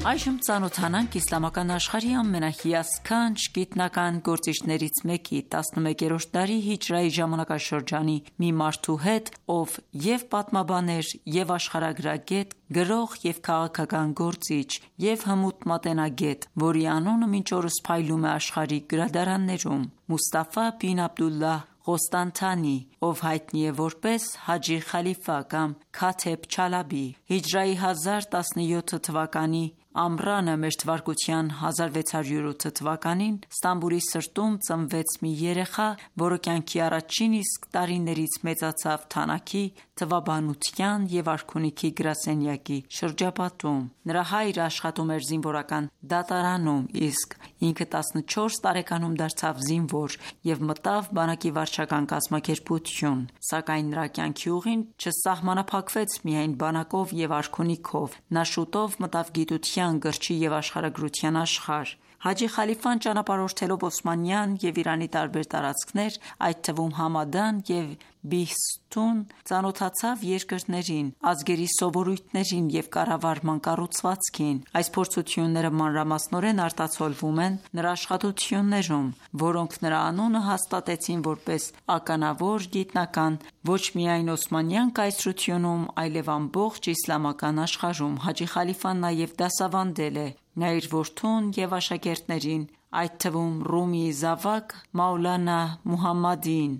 Այժմ ծանոթանանք իսլամական աշխարհի ամենահիասքանչ գիտնական գործիչներից մեկի՝ 11-րդ դարի հիջրայի ժամանակաշրջանի մի մարդու հետ, ով և պատմաբան էր, և աշխարհագրագետ, գրող և քաղաքական գործիչ, և հմուտ մատենագետ, որի անունը մինչ օրս փայլում է աշխարհի գրադարաններում՝ Մուստաֆա բին Աբդուլլահ Ղոստանթանի, ով հայտնի է որպես Հաջի Խալիֆա կամ Քաթեբ Չալաբի։ Հիջրայի 1017 թվականի ամռանը մ.թ. 1608 թվականին Ստամբուլի սրտում ծնվեց մի երեխա, որը կյանքի առաջին իսկ տարիներից մեծացավ թանաքի, թվաբանության և արքունիքի գրասենյակի շրջապատում։ Նրա հայրը աշխատում էր զինվորական դատարանում, իսկ ինքը 14 տարեկանում դարձավ զինվոր և մտավ բանակի վարչական կազմակերպություն։ Սակայն նրա կյանքի ուղին չսահմանափակվեց միայն բանակով և արքունիքով։ Նա շուտով մտավ գիտության, գրչի և աշխարհագրության աշխարհ։ Հաջի Խալիֆան ճանապարհորդելով Օսմանյան և Իրանի տարբեր տարածքներ, այդ թվում Համադան և Բիհստուն, ծանոթացավ երկրներին, ազգերի սովորույթներին և կառավարման կառուցվածքին։ Այս փորձությունները մանրամասնորեն արտացոլվում են նրա աշխատություններում, որոնք նրա անունը հաստատեցին որպես ականավոր գիտնական ոչ միայն Օսմանյան կայսրությունում, այլև ամբողջ իսլամական աշխարհում։ Հաջի Խալիֆան նաև դասավանդել է։ Նա իր որդուն և աշակերտներին, այդ թվում Ռումիի զավակ Մաուլանա Մուհամմադին,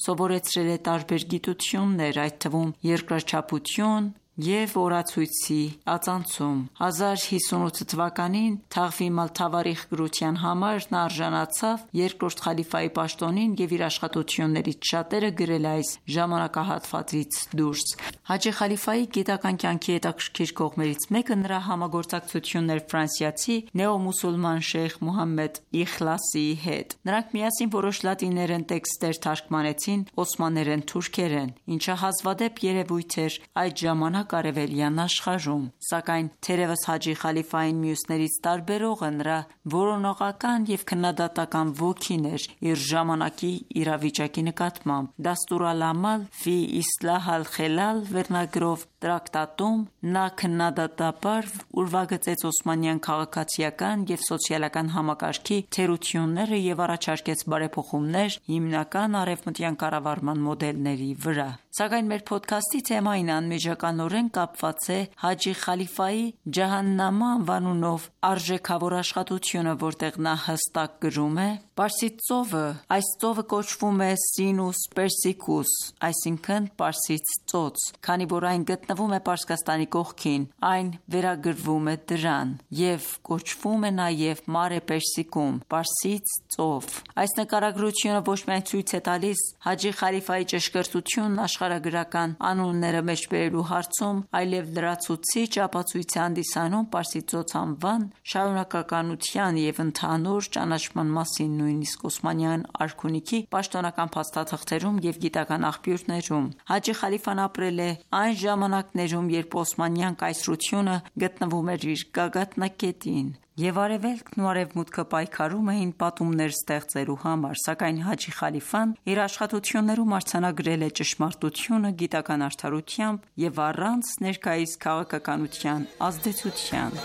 սովորեցրել է տարբեր գիտություններ, այդ թվում երկրաչափություն, և օրացույցի ածանցում։ 1058 թվականին Թաղվիմ ալ-Թավարիխ գրության համար նա արժանացավ երկրորդ խալիֆայի պաշտոնին և իր աշխատություններից շատերը գրել է այս ժամանակահատվածից դուրս։ Հաջի խալիֆայի գիտական կյանքի հետաքրքիր կողմերից մեկը նրա համագործակցությունն էր ֆրանսիացի նեոմուսուլման շեյխ Մուհամմեդ Իխլասիի հետ։ Նրանք միասին որոշ լատիներեն տեքստեր թարգմանեցին օսմաներեն թուրքերեն, ինչը հազվադեպ երևույթ էր այդ ժամանակ արևելյան աշխարհում։ Սակայն թերևս Հաջի խալիֆային մյուսներից տարբերողը նրա որոնողական և քննադատական ոգին էր իր ժամանակի իրավիճակի նկատմամբ։ Դաստուր ալ-Ամալ ֆի Իսլահ ալ-Խելալ վերնագրով տրակտատում նա քննադատաբար ուրվագծեց օսմանյան քաղաքացիական և սոցիալական համակարգի թերությունները և առաջարկեց բարեփոխումներ հիմնական արևմտյան կառավարման մոդելների վրա։ Սակայն մեր փոդքասթի թեմային անմիջականորեն կապված է Հաջի խալիֆայի Ջահաննամա անվանունով արժեքավոր աշխատությունը, որտեղ նա հստակ գրում է. «Պարսից ծովը, այս ծովը կոչվում է Սինուս Պերսիկուս, այսինքն Պարսից ծոց, քանի որ այն գտնվում է Պարսկաստանի կողքին, այն վերագրվում է դրան, և կոչվում է նաև Մարե Պերսիկում, Պարսից ծով»։ Այս նկարագրությունը ոչ միայն ցույց է տալիս Հաջի խալիֆայի ճշգրտությունն աշխարհագրական անունները մեջբերելու հարցում, այլև լրացուցիչ ապացույց է հանդիսանում Պարսից ծոց անվան շարունակականության և ընդհանուր ճանաչման մասին նույնիսկ օսմանյան արքունիքի պաշտոնական փաստաթղթերում և գիտական աղբյուրներում։ Հաջի խալիֆան ապրել է այն ժամանակներում, երբ օսմանյան կայսրությունը գտնվում էր իր գագաթնակետին, և Արևելքն ու Արևմուտքը պայքարում էին պատումներ ստեղծելու համար, սակայն Հաջի խալիֆան իր աշխատություններում արձանագրել է ճշմարտությունը գիտական արդարությամբ և առանց ներկայիս քաղաքականության ազդեցության։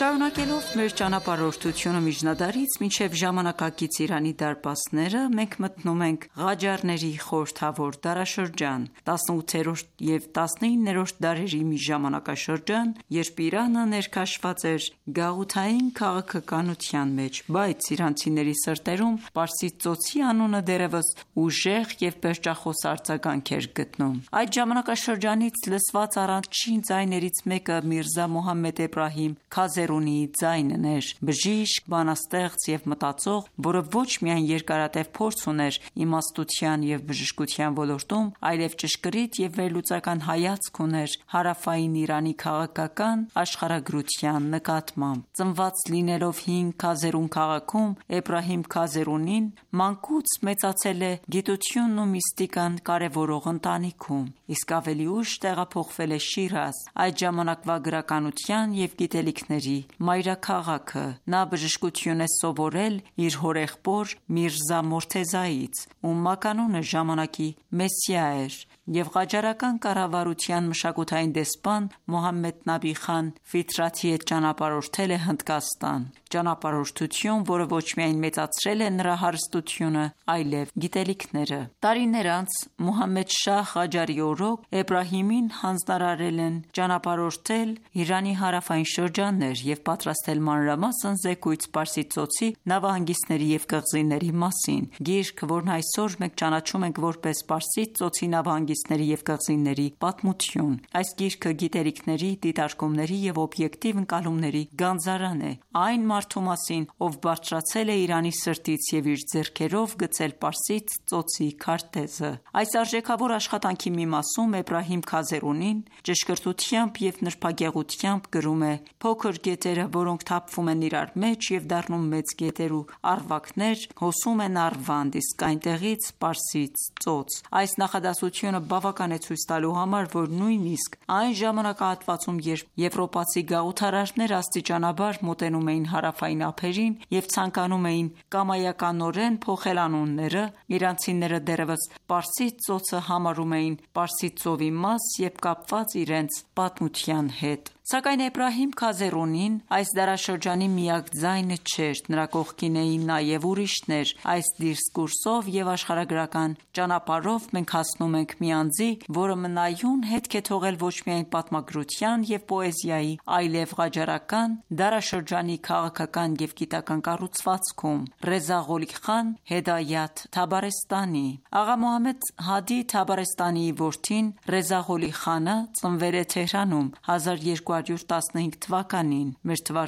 Շարունակելով մեր ճանապարհորդությունը միջնադարից մինչև ժամանակակից Իրանի դարպասները, մենք մտնում ենք Ղաջարների խորհրդավոր դարաշրջան, 18-րդ և 19-րդ դարերի մի ժամանակաշրջան, երբ Իրանը ներքաշված էր գաղութային քաղաքականության մեջ, բայց իրանցիների սրտերում Պարսից ծոցի անունը դեռևս ուժեղ և պերճախոս արձագանք էր գտնում։ Այդ ժամանակաշրջանից լսված առաջին ձայներից մեկը Միրզա Մուհամմեդ Էբրահիմ Քազերունիի ձայնն էր, բժիշկ, բանաստեղծ և մտածող, որը ոչ միայն երկարատև փորձ ուներ իմաստության և բժշկության ոլորտում, այլև ճշգրիտ և վերլուծական հայացք ուներ հարավային Իրանի քաղաքական աշխարհագրության նկատմամբ։ Ծնված լինելով հին Քազերուն քաղաքում, Էբրահիմ Քազերունին մանկուց մեծացել է գիտությունն ու միստիկան կարևորող ընտանիքում, իսկ ավելի ուշ տեղափոխվել է Շիրազ, այդ ժամանակվա գրականության և գիտելիքների մայրաքաղաքը։ Նա բժշկություն է սովորել իր հորեղբոր Միրզա Մորթեզայից, ում մականունը ժամանակի Մեսիա էր, և ղաջարական կառավարության մշակութային դեսպան Մոհամմեդ Նաբի խան Ֆիթրաթի հետ ճանապարհորդել է Հնդկաստան, ճանապարհորդություն, որը ոչ միայն մեծացրել է նրա հարստությունը, այլև գիտելիքները։ Տարիներ անց Մուհամմեդ Շահ Ղաջարի օրոք Էբրահիմին հանձնարարել են ճանապարհորդել Իրանի հարավային շրջաններ և պատրաստել մանրամասն զեկույց Պարսից ծոցի նավահանգիստների և կղզիների մասին։ Գիրք, որն այսօր մենք ճանաչում ենք որպես Պարսից ծոցի նավահանգիստների և կղզիների պատմություն։ Այս գիրքը գիտելիքների, դիտարկումների և օբյեկտիվ ընկալումների գանձարան է այն մարդու մասին, ով բարձրացել է Իրանի սրտից և իր ձեռքերով գծել Պարսից ծոցի քարտեզը։ Այս արժեքավոր աշխատանքի մի մասում Էբրահիմ Քազերունին ճշգրտությամբ և նրբագեղությամբ գրում է. «Փոքր գետերը, որոնք թափվում են իրար մեջ և դառնում մեծ գետեր ու առվակներ, հոսում են Արվանդ, իսկ այնտեղից Պարսից ծոց»։ Այս նախադասությունը բավական է ցույց տալու համար, որ նույնիսկ այն ժամանակահատվածում, երբ եվրոպացի գաղութարարներ աստիճանաբար մոտենում էին հարավային ափերին և ցանկանում էին կամայականորեն փոխել անունները, իրանցիները դեռևս Պարսից ծոցը համարում էին Պարսից ծովի մաս և կապված իրենց պատմության հետ։ Սակայն Էբրահիմ Քազերունին այս դարաշրջանի միակ ձայնը չէր, նրա կողքին էին նաև ուրիշներ։ Այս դիսկուրսով և աշխարհագրական ճանապարհով մենք հասնում ենք մի անձի, որը մնայուն հետք է թողել ոչ միայն պատմագրության և պոեզիայի, այլև ղաջարական դարաշրջանի քաղաքական և գիտական կառուցվածքում։ Ռեզա Ղոլի խան Հեդայաթ Թաբարեստանի Աղա Մոհամմեդ Հադի Թաբարեստանիի որդին Ռեզա Ղոլի խանը ծնվել է Թեհրանում 1215 թվականին (մ.թ.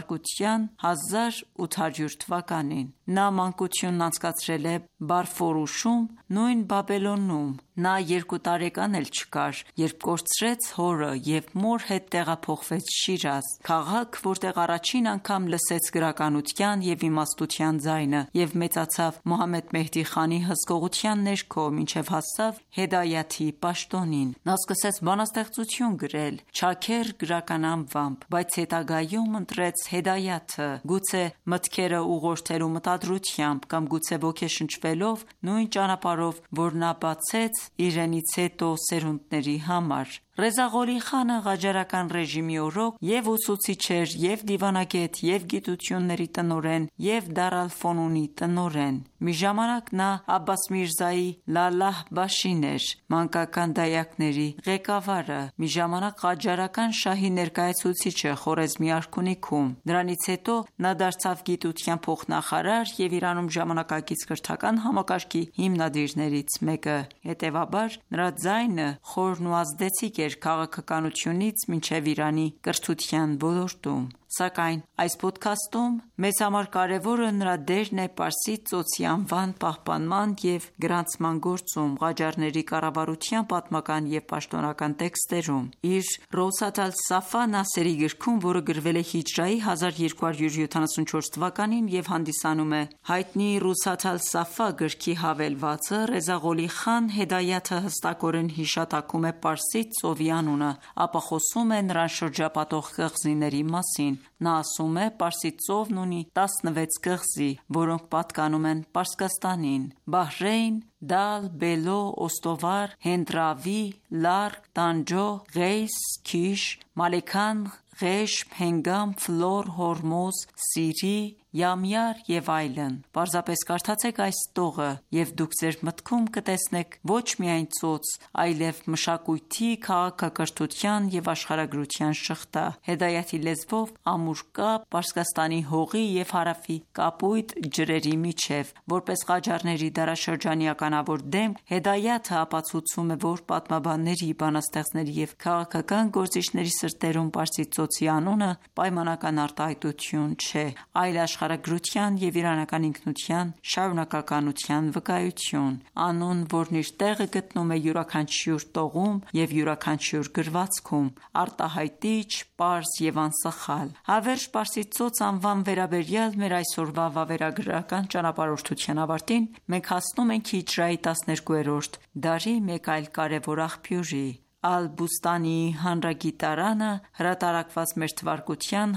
1800 թվականին)։ Նա մանկությունն անցկացրել է Բարֆորուշում, նույն Բաբելոնում։ Նա 2 տարեկան էլ չկար, երբ կորցրեց հորը և մոր հետ տեղափոխվեց Շիրազ, քաղաք, որտեղ առաջին անգամ լսեց գրականության և իմաստության ձայնը և մեծացավ Մոհամմեդ Մեհդի խանի հսկողության ներքո, մինչև հասավ Հեդայաթի պաշտոնին։ Նա սկսեց բանաստեղծություն գրել «Չաքեր» գրական անվամբ, բայց հետագայում ընտրեց Հեդայաթը, գուցե մտքերը ուղղորդելու մտադրությամբ կամ գուցե ոգեշնչվելով նույն ճանապարհով, որ նա բացեց իրենից հետո սերունդների համար։ Ռեզա Ղոլի խանը ղաջարական ռեժիմի օրոք և ուսուցիչ էր, և դիվանագետ, և գիտությունների տնօրեն, և Դար ալ-Ֆոնունի տնօրեն։ Մի ժամանակ նա Աբբաս Միրզայի Լալլահ Բաշին էր, մանկական դայակների ղեկավարը, մի ժամանակ ղաջարական շահի ներկայացուցիչը Խորեզմի արքունիքում։ Դրանից հետո նա դարձավ գիտության փոխնախարար և Իրանում ժամանակակից կրթական համակարգի հիմնադիրներից մեկը։ Հետևաբար նրա ձայնը խորն ու ազդեցիկ էր քաղաքականությունից մինչև Իրանի կրթության ոլորտում։ Սակայն այս փոդքասթում մեզ համար կարևորը նրա դերն է Պարսից ծոցի անվան պահպանման և գրանցման գործում Ղաջարների կառավարության պատմական և պաշտոնական տեքստերում։ Իր Ռոուսաթ ալ-Սաֆա Նասերի գրքում, որը գրվել է հիջրայի 1274 թվականին և հանդիսանում է հայտնի Ռուսաթ ալ-Սաֆա գրքի հավելվածը, Ռեզա Ղոլի խան Հեդայաթը հստակորեն հիշատակում է Պարսից ծովի անունը, ապա խոսում է նրան շրջապատող կղզիների մասին։ Նա ասում է. «Պարսից ծովն ունի 16 կղզի, որոնք պատկանում են Պարսկաստանին՝ Բահրեյն, Դալ, Բելո, Օստովար, Հենդ-Րավի, Լարկ, Տանջո, Ղեյս, Քիշ, Մալեքան, Ղեշմ, Հենգամ, Ֆլոր, Հորմոզ, Սիրի, Յամյար և այլն»։ Պարզապես կարդացեք այս տողը, և դուք ձեր մտքում կտեսնեք ոչ միայն ծոց, այլև մշակույթի, քաղաքակրթության և աշխարհագրության շղթա։ Հեդայաթի լեզվով ամուր կապ Պարսկաստանի հողի և հարավի կապույտ ջրերի միջև։ Որպես Ղաջարների դարաշրջանի ականավոր դեմք, Հեդայաթը ապացուցում է, որ պատմաբանների, բանաստեղծների և քաղաքական գործիչների սրտերում Պարսից ծոցի անունը պայմանական արտահայտություն չէ, այլ աշխարհագրության և իրանական ինքնության շարունակականության վկայություն։ Անուն, որն իր տեղը գտնում է յուրաքանչյուր տողում և յուրաքանչյուր գրվածքում, արտահայտիչ, պարզ և անսխալ։ Հավերժ Պարսից ծոց անվան վերաբերյալ մեր այսօրվա վավերագրական ճանապարհորդության ավարտին մենք հասնում ենք հիջրայի 12-րդ դարի մեկ այլ կարևոր աղբյուրի՝ Ալ-Բուստանիի հանրագիտարանը, հրատարակված մ.թ.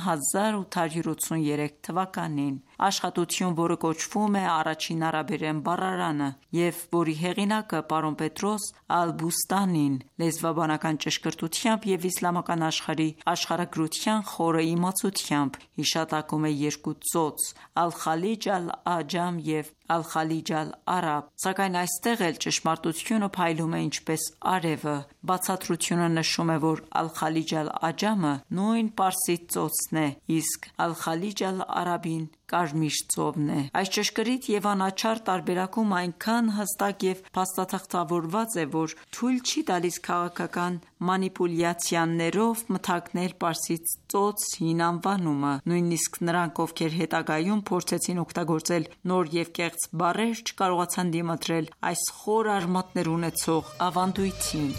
1883 թվականին։ Աշխատություն, որը կոչվում է Առաջին արաբերեն բառարանը և որի հեղինակը պարոն Պետրոս Ալ-Բուստանին լեզվաբանական ճշգրտությամբ և իսլամական աշխարհի աշխարհագրության խորը իմացությամբ հիշատակում է երկու ծոց՝ Ալ-Խալիջ Ալ-Աջամ և Ալ-Խալիջ Ալ-Արաբ։ Սակայն այստեղ էլ ճշմարտությունը փայլում է ինչպես արևը։ Բացատրությունը նշում է, որ Ալ-Խալիջ Ալ-Աջամը նույն Պարսից ծոցն է, իսկ Ալ-Խալիջ Ալ-Արաբին Կարմիր ծովն է։ Այս ճշգրիտ և անաչառ տարբերակումը այնքան հստակ և փաստաթղթավորված է, որ թույլ չի տալիս քաղաքական մանիպուլյացիաներով մթագնել Պարսից ծոց հին անվանումը։ Նույնիսկ նրանք, ովքեր հետագայում փորձեցին օգտագործել նոր և կեղծ բառեր, չկարողացան դիմադրել այս խոր արմատներ ունեցող ավանդույթին։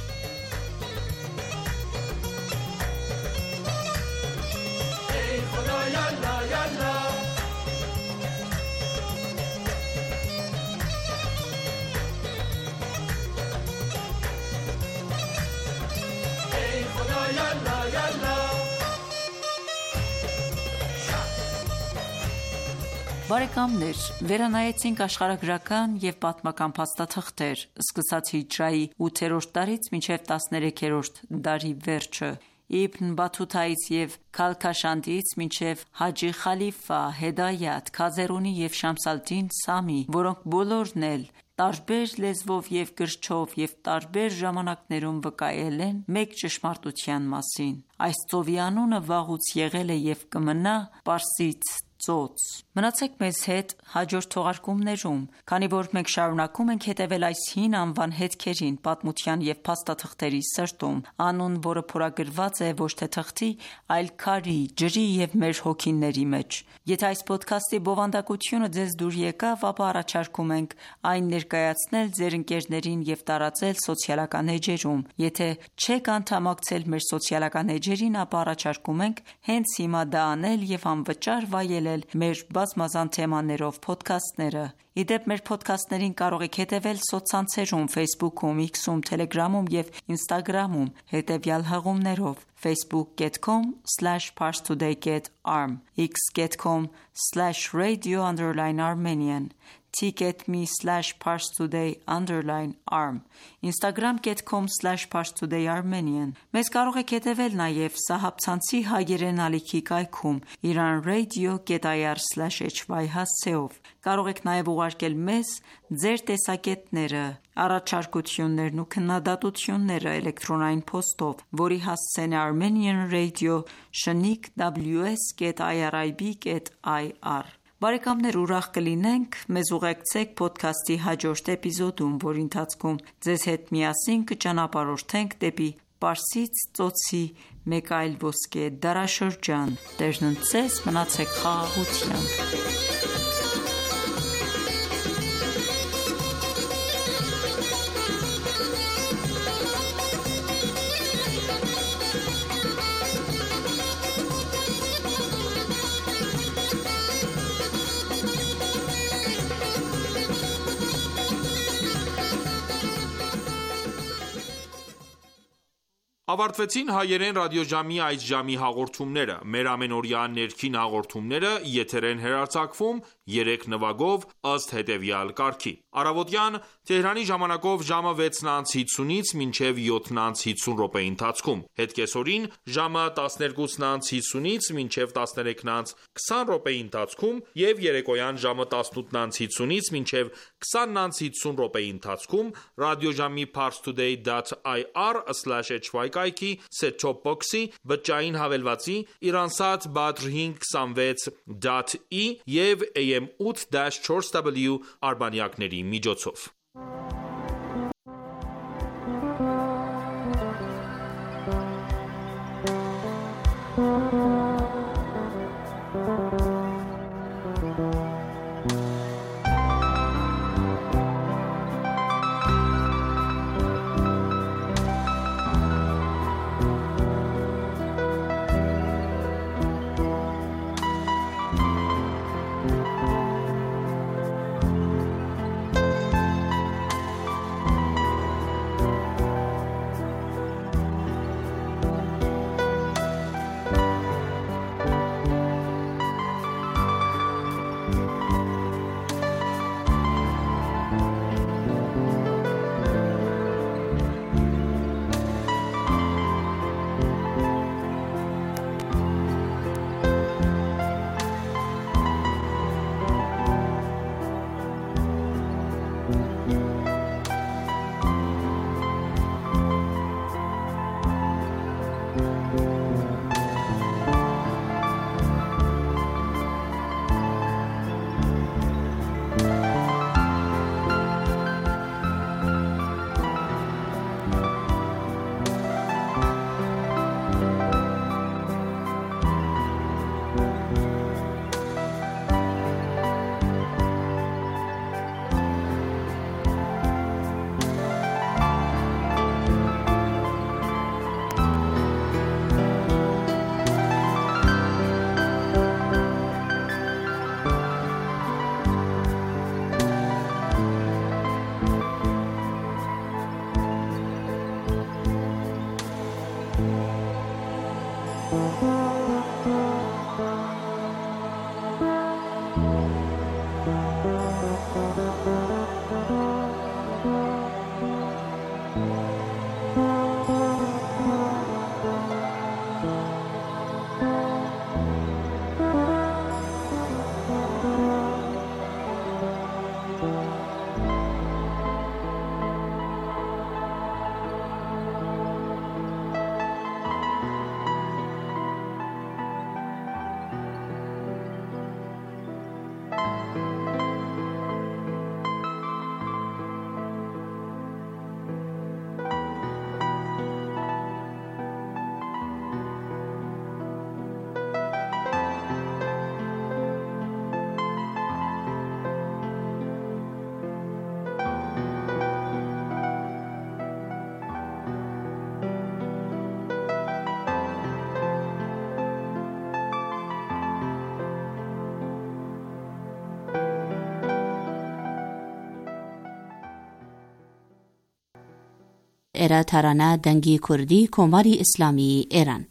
Բարեկամներ, վերանայեցինք աշխարհագրական և պատմական փաստաթղթեր՝ սկսած հիջրայի 8-րդ դարից մինչև 13-րդ դարի վերջը։ Իբն Բաթութայից և Քալքաշանդից մինչև Հաջի Խալիֆա, Հեդայաթ, Քազերունի և Շամս ալ-Դին Սամի, որոնք բոլորն էլ տարբեր լեզվով և կրչով և տարբեր ժամանակներում վկայել են մեկ ճշմարտության մասին։ Այս ծովի անունը վաղուց եղել է և կմնա Պարսից ծոց։ Մնացեք մեզ հետ հաջորդ թողարկումներում, քանի որ մենք շարունակում ենք հետևել այս հին անվան հետքերին պատմության և փաստաթղթերի սրտում, անուն, որը փորագրված է ոչ թե թղթի, այլ քարի, ջրի և մեր հոգիների մեջ։ Եթե այս փոդքասթի բովանդակությունը ձեզ դուր եկավ, ապա առաջարկում ենք այն ներկայացնել ձեր ընկերներին և տարածել սոցիալական էջերում։ Եթե չեք անդամակցել մեր սոցիալական էջերին, ապա առաջարկում ենք հենց հիմա դա անել և անվճար վայելել մեր բազմազան թեմաներով փոդքասթները։ Ի դեպ, մեր փոդքասթներին կարող եք հետևել սոցցանցերում Facebook-ում, X-ում, Telegram-ում և Instagram-ում հետևյալ հղումներով՝ facebook.com/parstoday.arm, x.com/radio_armenian, t.me/parstoday_arm, instagram.com/parstodayarmenian։ Մեզ կարող եք հետևել նաև սահաբցանցի հայերեն ալիքի կայքում iranradio.ir/hy հասցեով։ Կարող եք նաև ուղարկել մեզ ձեր տեսակետները, առաջարկություններն ու քննադատությունները էլեկտրոնային փոստով, որի հասցեն է armenianradio@irib.ir։ Բարեկամներ, ուրախ կլինենք մեզ ուղեկցեք փոդքասթի հաջորդ էպիզոդում, որի ընթացքում ձեզ հետ միասին կճանապարհորդենք դեպի Պարսից ծոցի մեկ այլ ոսկե դարաշրջան։ Տերն ընդ ձեզ, մնացեք խաղաղությամբ։ Ավարտվեցին հայերեն ռադիոժամի այս ժամի հաղորդումները։ Մեր ամենօրյա ներքին հաղորդումները եթեր են հեռարձակվում 3 նվագով ըստ հետևյալ կարգի։ Առավոտյան Թեհրանի ժամանակով ժամը 6:50-ից մինչև 7:50 րոպեի ընթացքում, հետ կեսօրին ժամը 12:50-ից մինչև 13:20 րոպեի ընթացքում և երեկոյան ժամը 18:50-ից մինչև 20:50 րոպեի ընթացքում ռադիոժամի parstoday.ir/hy կայքի set-top box-ի, բջջային հավելվածի, Iransat Badr 526.E և AM 8-4W արբանյակների միջոցով։ էրա թարանա դանգի քուրդի կոմարի իսլամի էրան